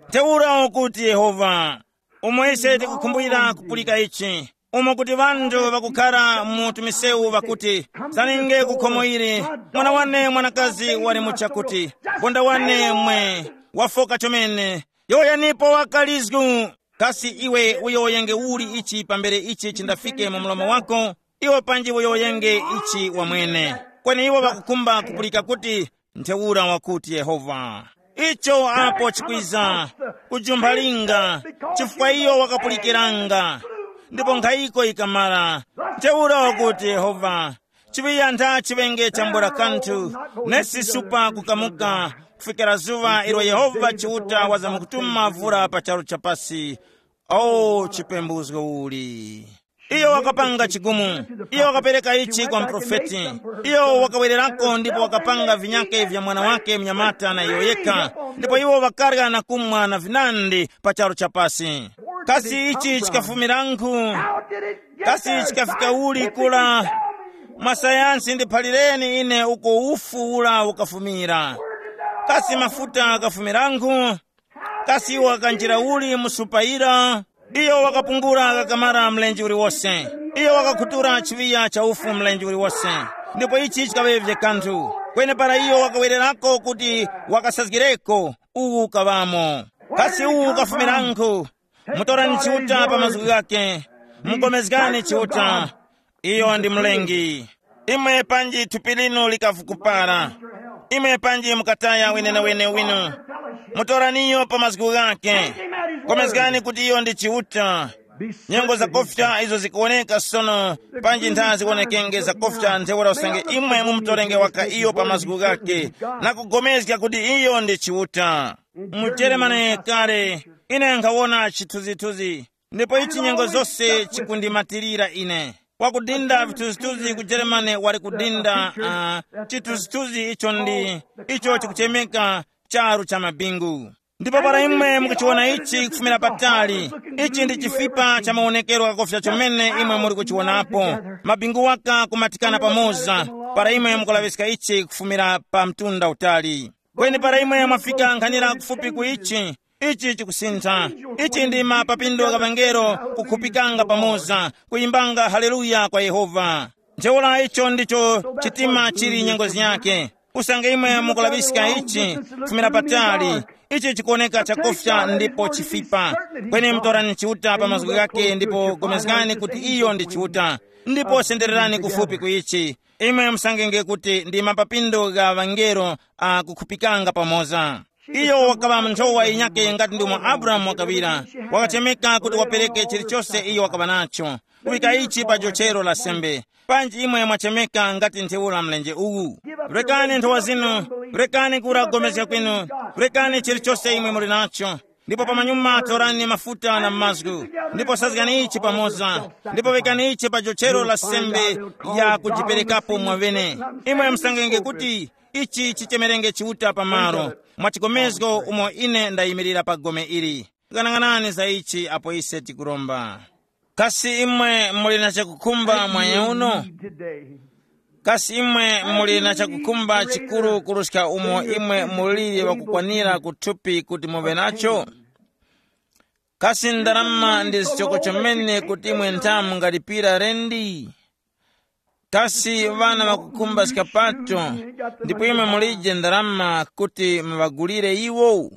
Ntheura ukuti Yehova, umo ise tikukhumbwira kupulika ichi, umo kuti ŵanthu ŵakukhara mu tumisewu ŵakuti, zaninge ku khomo ili, mwana wane mwanakazi wali mu chakuti, bonda wane mwe, wafoka chomene. Yowoyanipo wakalizgu. Kasi iwe uyowoyenge uli ichi pambere ichi chindafike mu mlomo wako? Iwe panji uyowoyenge ichi wamwene. Kweni iwo ŵakukhumba kupulika kuti, ntheura wakuti Yehova. Icho apo chikwiza, kujumpha linga, chifukwa iyo wakapulikiranga, ndipo nkhayiko ikamara. Ntheura wakuti Yehova, chiŵiya ntha chiŵenge chambula kanthu, nesi supa kukamuka, kufikira zuŵa ilo Yehova Chiuta wazamkutuma vura pa charu cha pasi. O chipembuzgo uli! Iyo wakapanga chigumu. Iyo wakapereka ichi kwa mprofeti. Iyo wakawererako ndipo wakapanga vinyake vya mwana wake mnyamata na iyo yekha. Ndipo iwo ŵakarya na kumwa na vinandi pa charu cha pasi. Kasi ichi chikafumiranghu? Kasi chikafika uli kula? Mwa sayansi ndiphalireni ine uko ufu ula ukafumira. Kasi mafuta akafumiranghu? Kasi iwo wakanjira uli mu supa yira? Iyo wakapungula kakamara mlenje uliwose. Iyo wakakhutura chiŵiya cha ufu mlenje uliwose. Ndipo ichi chikaŵavye kanthu. Kweni para iyo wakawererako kuti wakasazgireko, uwu ukaŵamo. Kasi uwu ukafumirankhu? Mutorani Chiuta pa mazgu ghake. Mugomezgani Chiuta. Iyo ndi Mlengi. Imwe panji thupi linu likavukupara. Imwe panji mukataya wenenewene winu. Mutoraniyo pa mazgu ghake. Gomezgani kuti iyo ndi Chiuta. Nyengo zakofya izo zikuwoneka sono, panji ntha ziwonekenge zakofya ntheura usange imwe mumutorenge waka iyo pa mazgu ghake, na kugomezga kuti iyo ndi Chiuta. Mu Jeremane kale, ine nkhawona chithunzithunzi, ndipo ichi nyengo zose chikundimatirira ine. Wakudinda vithunzithunzi ku Jeremane wali kudinda uh, chithunzithunzi icho ndi icho chikuchemeka charu cha mabingu. Ndipo para imwe mukuchiwona ichi kufumira patali, ichi ndi chifipa cha mawonekero ghakofya chomene imwe muli kuchiwonapo. Mabingu waka kumatikana pamoza, para imwe mukulaŵiska ichi kufumira pa mtunda utali. Kweni para imwe mwafika nkhanira kufupi ku ichi, ichi chikusintha. Ichi ndi mapapindo gha ŵangelo kukhupikanga pamoza, kuyimbanga haleluya kwa Yehova. Ntheura icho ndicho chitima chili nyengo yake. Usange imwe mukulaŵiska ichi kufumira patali, ichi chikuwoneka chakufya ndipo chifipa. Kweni mutorani Chiuta pa mazgu ghake ndipo gomezgani kuti iyo ndi Chiuta, ndipo sendererani kufupi ku ichi. Imwe musangenge kuti ndi mapapindo gha ŵangelo a kukhupikanga pamoza. Iyo wakaŵa nthowa yinyake ngati ndi umo Abrahamu wakaŵira. Wakachemeka kuti wapereke chilichose iyo wakaŵa nacho, kuŵika ichi pa jochero la sembe. Panji imwe mwachemeka ngati ntheura mlenje uwu? Rekani nthowa zinu, rekani kura kugomezga kwinu, rekani chilichose imwe muli nacho. Ndipo pamanyuma torani mafuta na mazgu, ndipo sazgani ichi pamoza, ndipo wekani ichi pa jochero la sembe ya kujiperekapo mwaŵene. Imwe musangenge kuti ichi chichemerenge Chiuta pamalo, mwa chikomezgo umo ine ndayimirira pa gome ili. Ghanaghanani za ichi apo ise tikuromba. Kasi imwe muli na chakukhumba mwanya uno? Kasi imwe muli na chakukhumba chikuru kuruska umo imwe muliri wakukwanira kuthupi kuti muve nacho? Kasi ndarama ndi zichoko chomene kuti imwe ntha mungalipira rendi? Kasi ŵana ŵakukhumba skapato, ndipo imwe mulije ndarama kuti muŵagulire iwo?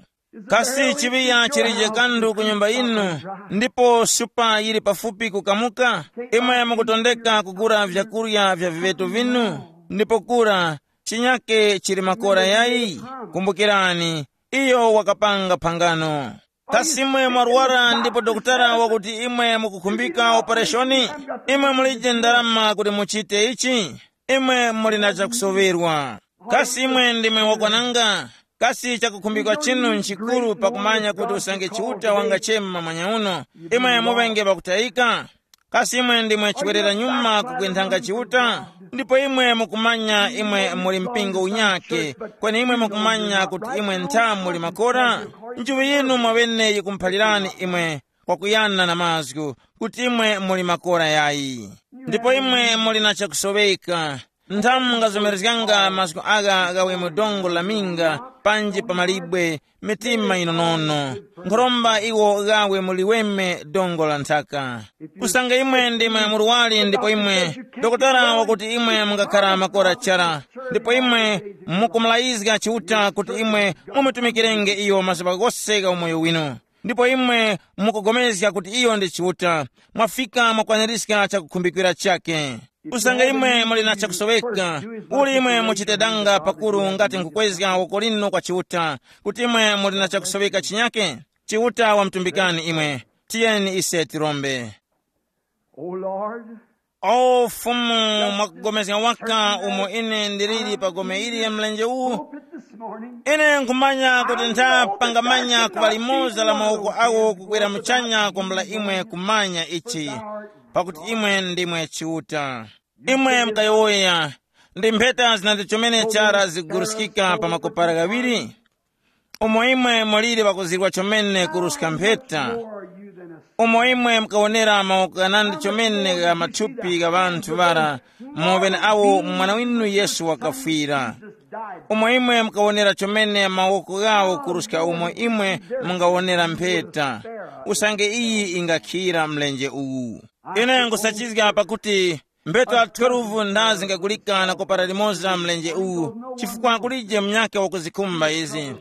Kasi chiŵiya chilije kanthu ku nyumba yinu, ndipo supa yili pafupi kukamuka? Imwe mukutondeka kugula vyakurya vya viŵeto vinu, ndipo kura chinyake chili makora yayi? Kumbukirani, iyo wakapanga phangano. Kasi imwe mwarwara ndipo dokotala wakuti imwe mukukhumbika opereshoni? Imwe mulije ndarama kuti muchite ichi? Imwe muli na chakusoŵerwa. Kasi imwe ndimwe wakwananga? Kasi chakukhumbika chinu nchikuru pakumanya kuti usange Chiuta wangachema mwanya uno, imwe muŵenge pakutayika? Kasi imwe ndimwe chiwerera nyuma kukwinthanga Chiuta? Ndipo imwe mukumanya imwe muli mpingo unyake, kweni imwe mukumanya kuti imwe ntha muli makora? Nchiŵi yinu mwaŵene yikumuphalirani imwe kwakuyana na mazgu kuti imwe muli makora yayi. Ndipo imwe muli na chakusoweka. Nthamu mungazomerezganga mazgu agha ghawe mu dongo la minga, panji pa malibwe, mitima yinonono. Nkhoromba iwo ghawe mu liweme dongo la nthaka. Usange imwe ndimwe murwari ndipo imwe dokotala wakuti imwe mungakhara makora chara, ndipo imwe mukumulayizga Chiuta kuti imwe mumutumikirenge iyo mazuŵa ghose gha umoyo winu, ndipo imwe mukugomezga kuti iyo ndi Chiuta, mwafika mwakwanirizga chakukhumbikira chakhe. Usange imwe muli na chakusoweka, uli imwe muchite danga pakuru ngati nkukwezga woko linu kwa Chiuta, kuti imwe muli na chakusoweka chinyake? Chiuta wamutumbikani imwe. Tiyeni ise tirombe. O Lord, o Fumu, mwakugomezga waka umo ine ndiliri pa gome ili ya mlenje uwu. Pulpit this morning. Ine nkhumanya kuti ntha pangamanya kuŵa limoza la mawoko awo kukwera muchanya kwambula imwe kumanya ichi, pakuti imwe ndimwe Chiuta. Imwe mukayowoya, ndi mpheta zinandi chomene chara ziguruskika pa makopara ghaŵiri? Umo imwe muliri ŵakuzirwa chomene kuruska mpheta, umo imwe mukawonera mawoko ghanandi chomene gha mathupi gha ŵanthu ŵara, mu ŵeneawo mwana winu Yesu wakafwira. Umo imwe mukawonera chomene mawoko ghawo kuruska umo imwe mungawonera mpheta, usange iyi ingakhira mlenje uwu. Ine nkhusachizga pakuti Mpheta twelve ndazi ngagulika na kupara limoza mlenje uwu, chifukwa kulije munyakhe wakuzikhumba izi.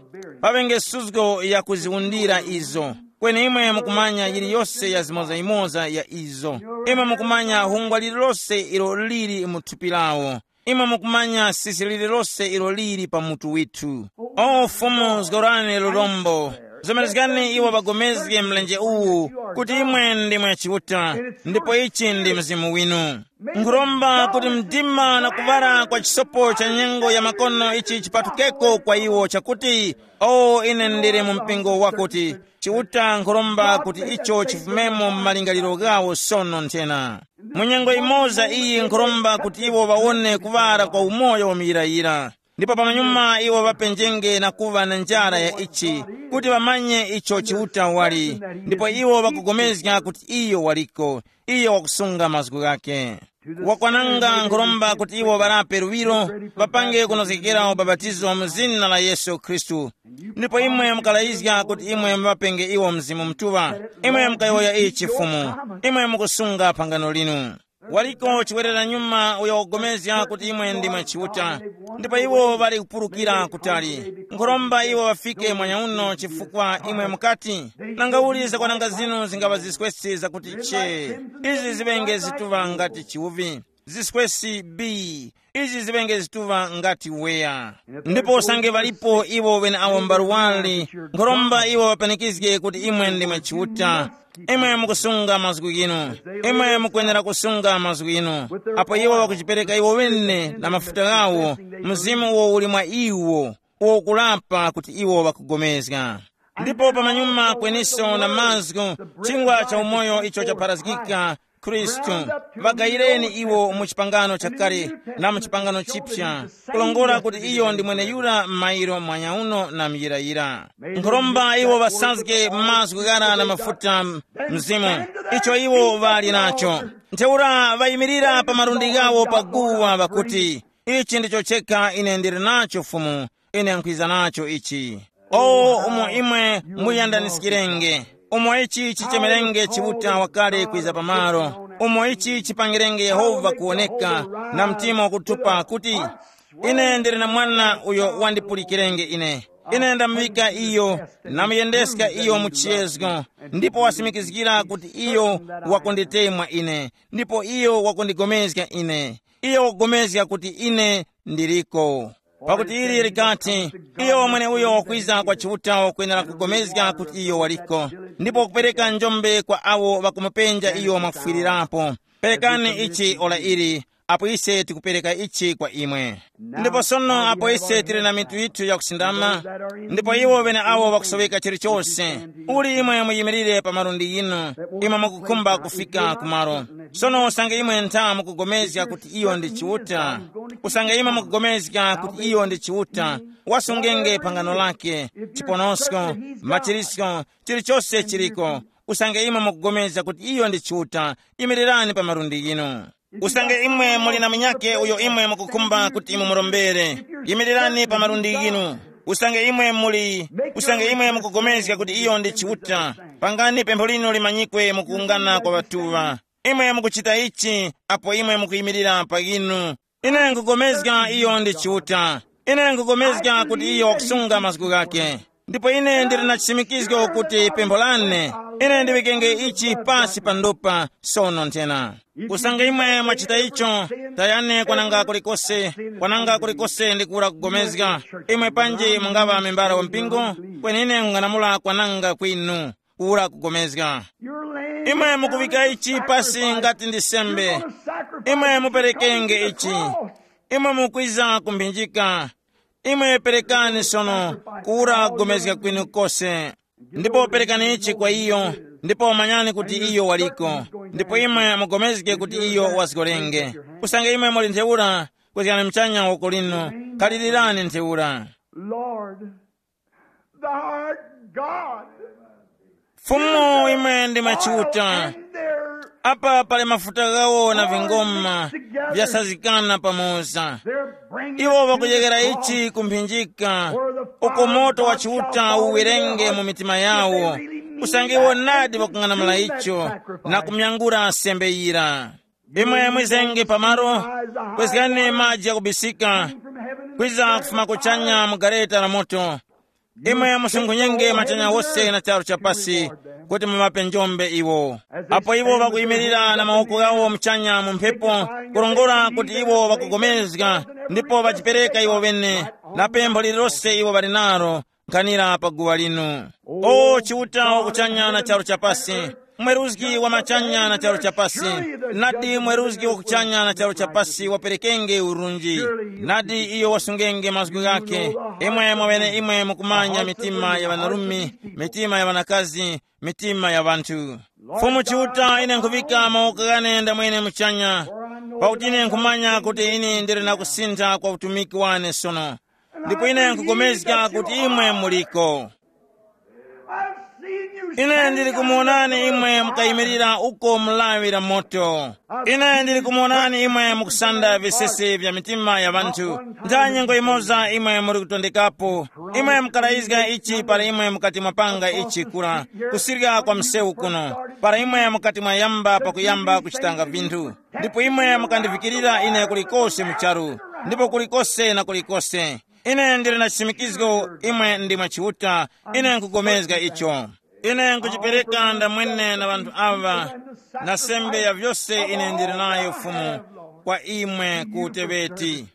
Paŵenge suzgo yakuziwundira izo. Kweni imwe mukumanya yiliyose ya zimoza-imoza ya izo. Imwe mukumanya hungwa lililose ilo lili mu thupi lawo. Imwe mukumanya sisi lililose ilo lili pa mutu withu. O Fumu, zgorani lurombo. Zomerezgani iwo ŵagomezge mlenje uwu, kuti imwe ndimwe Chiuta, ndipo ichi ndi Mzimu winu. Nkhuromba kuti mdima na kuŵala kwa chisopo cha nyengo ya makono ichi chipatukeko kwa iwo, chakuti, o, ine ndili mu mpingo wakuti, Chiuta, nkhuromba kuti icho chifumemo mu malingaliro ghawo sono nthena. Mu nyengo imoza iyi nkhuromba kuti iwo ŵawone kuŵala kwa umoyo wa muyirayira. Ndipo pamanyuma iwo ŵapenjenge na kuŵa na njara ya ichi, kuti ŵamanye icho Chiuta wali, ndipo iwo ŵakugomezga kuti iyo waliko, iyo wakusunga mazgu ghakhe. Wakwananga nkhuromba kuti iwo ŵalape luŵiro, ŵapange kunozgekera ubapatizo mu zina la Yesu Khristu. Ndipo imwe mukalayizga kuti imwe muŵapenge iwo Mzimu Mutuŵa. Imwe mukayowoya ichi Fumu. Imwe mukusunga phangano linu. Waliko chiwerera nyuma uyo wakugomezga kuti imwe ndimwe Chiuta. Ndipo iwo ŵali kupulukira kutali. Nkhuromba iwo ŵafike mwanyauno chifukwa imwe mukati, nanga uli zakwananga zinu zingaŵa ziswesi zakuti che. Izi ziŵenge zituŵa ngati chiwuvi. Ziswesi bi. Izi ziŵenge zituŵa ngati weya. Ndipo usange ŵalipo iwo ŵeneawo mbaluwali, nkhuromba iwo ŵapanikizge kuti imwe ndimwe Chiuta. Imwe mukusunga mazgu ghinu. Imwe mukwenera kusunga mazgu ghinu. Apo iwo ŵakujipereka iwo ŵene na mafuta ghawo, Mzimu uwo uli mwa iwo, uwo ukulapa kuti iwo ŵakugomezga. Ndipo pamanyuma kweniso na mazgu, chingwa cha umoyo icho chapharazgika, Khristu, ŵagayireni iwo mu chipangano chakale na mu chipangano chipya, kulongora kuti iyo ndi mweneyura m'mayiro mwanyauno na muyirayira. Nkhuromba iwo ŵasazge mazgu ghara na mafuta Mzimu, icho iwo ŵali nacho. Ntheura ŵayimirira pa malundi ghawo pa guwa ŵakuti, ichi ndicho chekha ine ndili nacho Fumu, ine nkhwiza nacho ichi. O umo imwe muyandaniskirenge, umo ichi chichemerenge Chiuta wakale kwiza pamalo, umo ichi chipangirenge Yehova kuwoneka na mtima wakutupa kuti, ine ndili na mwana uyo wandipulikirenge ine. Ine ndamuŵika iyo, namuyendeska iyo mu chiyezgo, ndipo wasimikizgira kuti iyo wakunditemwa ine, ndipo iyo wakundigomezga ine. Iyo wakupulikana kuti ine ndiliko. Pakuti ili likati, iyo wamwene uyo wakwiza kwa Chiuta wakwenera kugomezga kuti iyo waliko, ndipo kupereka njombe kwa awo ŵakumupenja iyo mwakufwirirapo. Perekani ichi ora ili, apo ise tikupereka ichi kwa imwe. Ndipo sono apo ise tili na mitu yithu yakusindama, ndipo iwo ŵeneawo ŵakusoweka chilichose, uli imwe muyimirire pa malundi yinu, imwe mukukhumba kufika kumalo. Sono usange imwe ntha mukugomezga kuti iyo ndi Chiuta, usange imwe mukugomezga kuti iyo ndi Chiuta, wasungenge phangano lake, chiponosko, machirisko, chilichose chiliko. Usange imwe mukugomezga kuti iyo ndi Chiuta, yimirirani pa malundi yinu. Usange imwe muli na munyakhe uyo imwe mukukhumba kuti mumurombere, yimirirani pa malundi ghinu. Usange imwe muli, usange imwe mukugomezga kuti iyo ndi Chiuta, pangani pempho linu limanyikwe mukuwungana kwa ŵatuŵa. Imwe mukuchita ichi apo imwe mukuyimirira pa ghinu. Ine nkugomezga iyo ndi Chiuta. Ine nkugomezga kuti iyo wakusunga mazgu ghakhe. Ndipo ine ndili na chisimikizgo kuti pempho lane, ine ndiŵikenge ichi pasi pa ndupa sono nthena. Usange imwe mwachita icho, tayani kwananga kulikose, kwananga kulikose ndi kuwura kugomezga. Imwe panji mungaŵa membala wa mpingo, kweni ine nkung'anamula kwananga kwinu, kuwura kugomezga. Imwe mukuŵika ichi pasi ngati ndi sembe. Imwe muperekenge ichi. Imwe mukwiza kumphinjika. Imwe perekani sono kuwura kugomezga kwinu kose. Ndipo perekani ichi kwa iyo, ndipo manyani kuti iyo waliko. Ndipo imwe mugomezge kuti iyo wazgorenge. Usange imwe muli ntheura, kwezgani mchanya woko linu, khalilirani ntheura. Lord, thou art God. Fumu, imwe ndi machiuta. And there Apa pali mafuta ghawo na vingoma vyasazikana pamoza. Iwo ŵakujekera ichi kumphinjika, uko moto wa Chiuta uwerenge mu mitima yawo, usange iwo nadi ŵakung'anamula icho na kumyangura sembe yira. Imwe mwizenge pamalo, kwezgani maji yakubisika, kwiza kufuma kuchanya mu gareta la moto. Imwe musunkhunyenge machanya wose na charu cha pasi, kuti muŵape njombe iwo. Apo iwo ŵakuyimirira na mawoko ghawo muchanya mu mphepo, kurongora kuti iwo ŵakugomezga, ndipo ŵachipereka iwo ŵene, na pempho lililose iwo ŵali nalo, nkhanira pa guwa linu. O Chiuta wa kuchanya na charu cha pasi, mweruzgi wa machanya na charu cha pasi, nadi mweruzgi wa kuchanya na charu cha pasi waperekenge urunji, nadi iyo wasungenge mazgu ghakhe. Imwe mwaŵene imwe mukumanya mitima ya ŵanarume, mitima ya ŵanakazi, mitima ya anthu. Fumu Chiuta, ine nkhuŵika mawoko ghane ndamwene muchanya, pakuti ine nkhumanya kuti ine ndili na kusintha kwa utumiki wane sono. Ndipo ine nkupulikana kuti imwe muliko. Ine ndili kumuwonani imwe mukayimirira uko mu lawi la moto. Ine ndili kumuwonani imwe mukusanda visesi vya mitima ya ŵanthu. Ntha nyengo imoza imwe muli kutondekapo, imwe mukalayizga ichi para imwe mukati mwapanga ichi kura, kusirya kwa msewu kuno, para imwe mukati mwayamba pakuyamba kuchitanga vinthu. Ndipo imwe mukandivikirira ine kulikose mu charu, ndipo kulikose na kulikose. Ine ndili na chisimikizgo imwe ndimwe Chiuta. Ine nkupulikana icho. Ine nkuchipereka ndamwene na ŵanthu aŵa, na sembe ya vyose ine ndili nayo Fumu, kwa imwe ku Tebeti.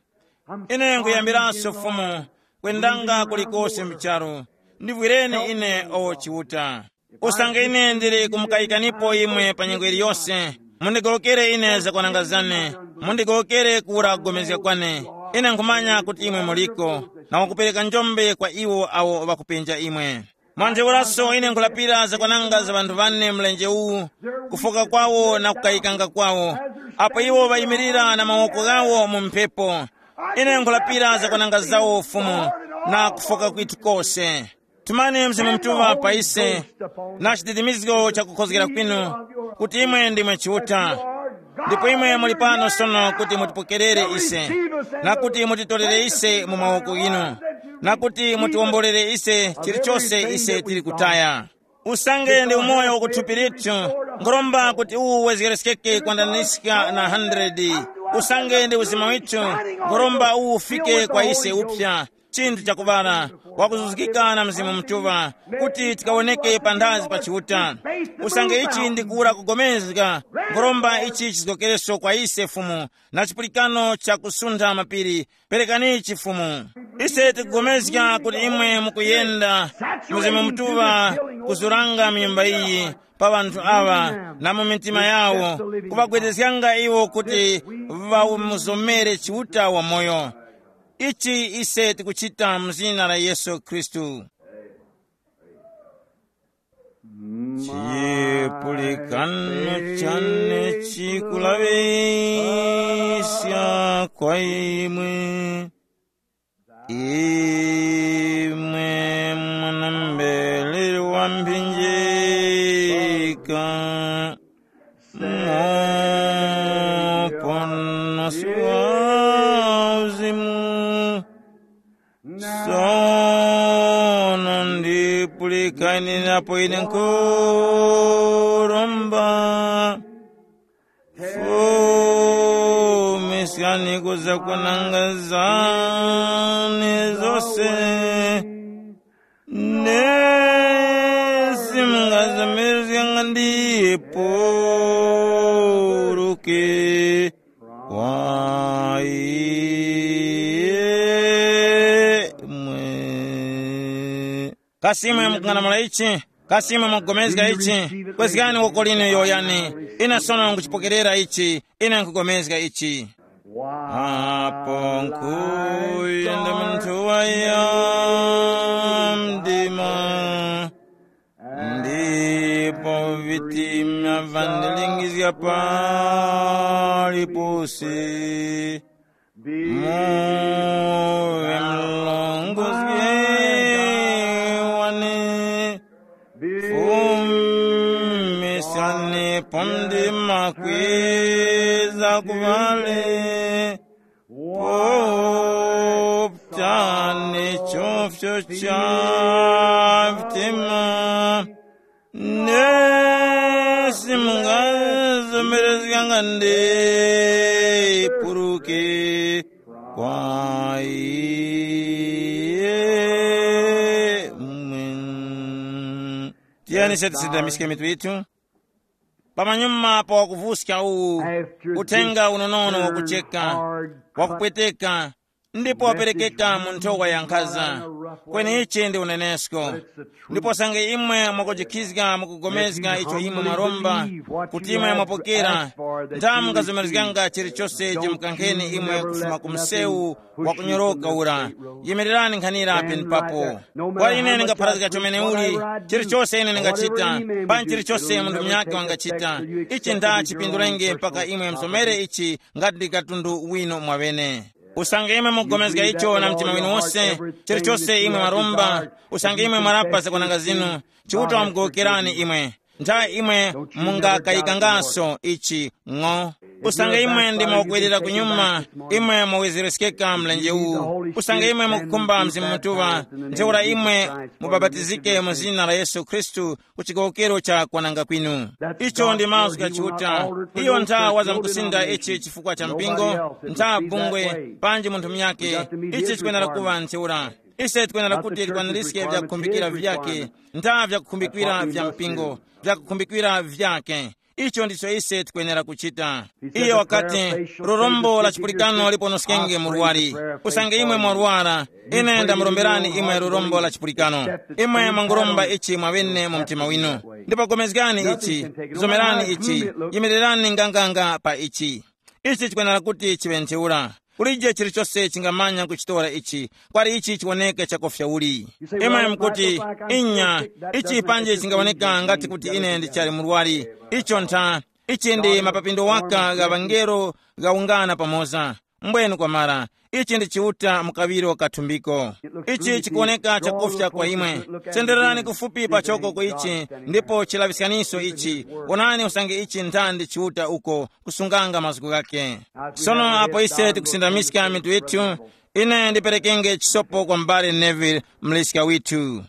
Ine nkuyambiranso Fumu, kwendanga kulikose mu charu. Ndivwireni ine, o Chiuta. Usange ine ndili kumukayikanipo imwe pa nyengo yiliyose, mundigowokere ine zakwananga zane, mundigowokere kura kugomezga kwane. Ine nkhumanya kuti imwe muliko, na wakupereka njombe kwa iwo awo ŵakupenja imwe. Mwa ntheuraso ine nkhulapira zakwananga za ŵanthu ŵane mlenje uwu, kufoka kwawo na kukayikanga kwawo, apo iwo ŵayimirira na mawoko ghawo mu mphepo. Ine nkhulapira zakwananga zawo Fumu, na kufoka kwithu kose. Tumani Mzimu Mutuŵa pa ise, na chiditimizgo cha kukhozgera kwinu, kuti imwe ndimwe Chiuta. Ndipo imwe muli pano sono kuti mutipokerere ise, na kuti mutitorere ise mu mawoko ghinu, na kuti mutiwombolere ise chilichose ise tili kutaya. Usange ndi umoyo wa kuthupi lithu, nkhuromba kuti uwu wezgereskeke kwandaniska na hundred. Usange ndi uzima withu, nkhuromba uwu ufike kwa ise upsa, chinthu chakuŵala, wakuzuzgika na Mzimu Mutuŵa, kuti tikawoneke panthazi pa Chiuta. Usange ichi ndi kuwura kugomezga, nkhuromba ichi chizgokereso kwa ise Fumu, na chipulikano cha kusuntha mapiri. Perekani chifumu. Ise tikugomezga kuti imwe mukuyenda Mzimu Mutuŵa kuzuranga mu nyumba iyi, pa ŵanthu aŵa na mu mitima yawo, kuŵagwedezganga iwo kuti ŵamuzomere Chiuta wamoyo. Ichi ise tikuchita mu zina la Yesu Khristu. Chipulikano chane chikulaŵiska kwa imwe, imwe mwana mbelere wa mphinjika, muponosi wa uzimu. Sono ndipulikani napo ine nkhuromba, fumiskani kuza kwananga zane zose, nesi mungazamirizganga ndipuruke kwa imwe. Kasi imwe mukung'anamula ichi? Kasi imwe mukugomezga ichi? Kwezgani woko linu yowoyani. Ine sono nkuchipokerera ichi. Ine nkugomezga ichi. Apo nkuyenda munthu waya mdima, ndipo vitima vandilingizga paliponse. Muŵe mlongozi wane, fumiskani po mdima kwiza kuŵale, poputani chofyo cha vitima, nesi mungaza Mberezganga nde puruke kwa iye mwini. Tiyeni se tisindamiske mitu yithu. Pamanyuma pa wakuvuska uwu, uthenga unonono wakucheka, wakupweteka, ndipo waperekeka mu nthowa ya nkhaza. Kweni ichi ndi unenesko. Ndipo sange imwe mwakujikhizga mukugomezga icho imwe mwaromba, kuti imwe mwapokera, ntha mungazomerezganga chilichose chimukankheni imwe kufuma ku msewu wakunyoroka ura. Yimirirani nkhanira penepapo. Kwa ine ndingapharazga chomene uli, chilichose ine ndingachita, panji chilichose munthu munyakhe wangachita, ichi ntha chipindulenge mpaka imwe mzomere ichi ngati ndi katundu wino mwaŵene. Usange imwe mugomezga icho na mtima winu wose, chilichose imwe mwaromba, usange imwe mwarapa zakwananga zinu, Chiuta wamugowokerani imwe. Ntha imwe mungakayikangaso ichi ng'o. Usange imwe ndi mwakwerera kunyuma, imwe mwawezereskeka mlenje uwu. Usange imwe mukukhumba Mzimu Mutuŵa, ntheura imwe mubapatizike mu zina la Yesu Khristu ku chigowokero cha kwananga kwinu. Icho ndi mazgu gha Chiuta. Iyo ntha wazamkusinda ichi chifukwa cha mpingo, ntha bungwe, panji munthu munyakhe. Ichi chikwenera kuŵa ntheura. Ise tikwenera kuti tikwanirizge vyakukhumbikira vyakhe, ntha vyakukhumbikira vya mpingo, vyakukhumbikira vyakhe. Icho ndicho ise tikwenera kuchita. Iye wakati, lurombo la chipulikano liponoskenge murwari. Usange imwe mwarwara, ine ndamuromberani imwe lurombo la chipulikano. Imwe mwanguromba ichi mwaŵene mu mtima winu. Ndipo gomezgani ichi, zomerani ichi, yimirirani nganganga pa ichi. Ichi chikwenera kuti chiŵe ntheura. Kulije chilichose chingamanya kuchitora ichi, kwali ichi chiwoneke chakofya uli. Imwe mukuti, inya, ichi panje chingawoneka ngati kuti ine ndichali murwari. Icho ntha, ichi ndi mapapindo waka gha ŵangelo ghawungana pamoza. Mbwenu kwamara, ichi ndi Chiuta mukaŵiro kathumbiko. Ichi chikuwoneka chakofya kwa imwe. Sendererani kufupi pachoko ku ichi, ndipo chilaŵiskaniso ichi. Wonani usange ichi nthandi Chiuta uko kusunganga mazgu ghakhe. Sono apo ise tikusindamiska mitu yithu, ine ndiperekenge chisopo kwa m'bale Neville, mliska withu.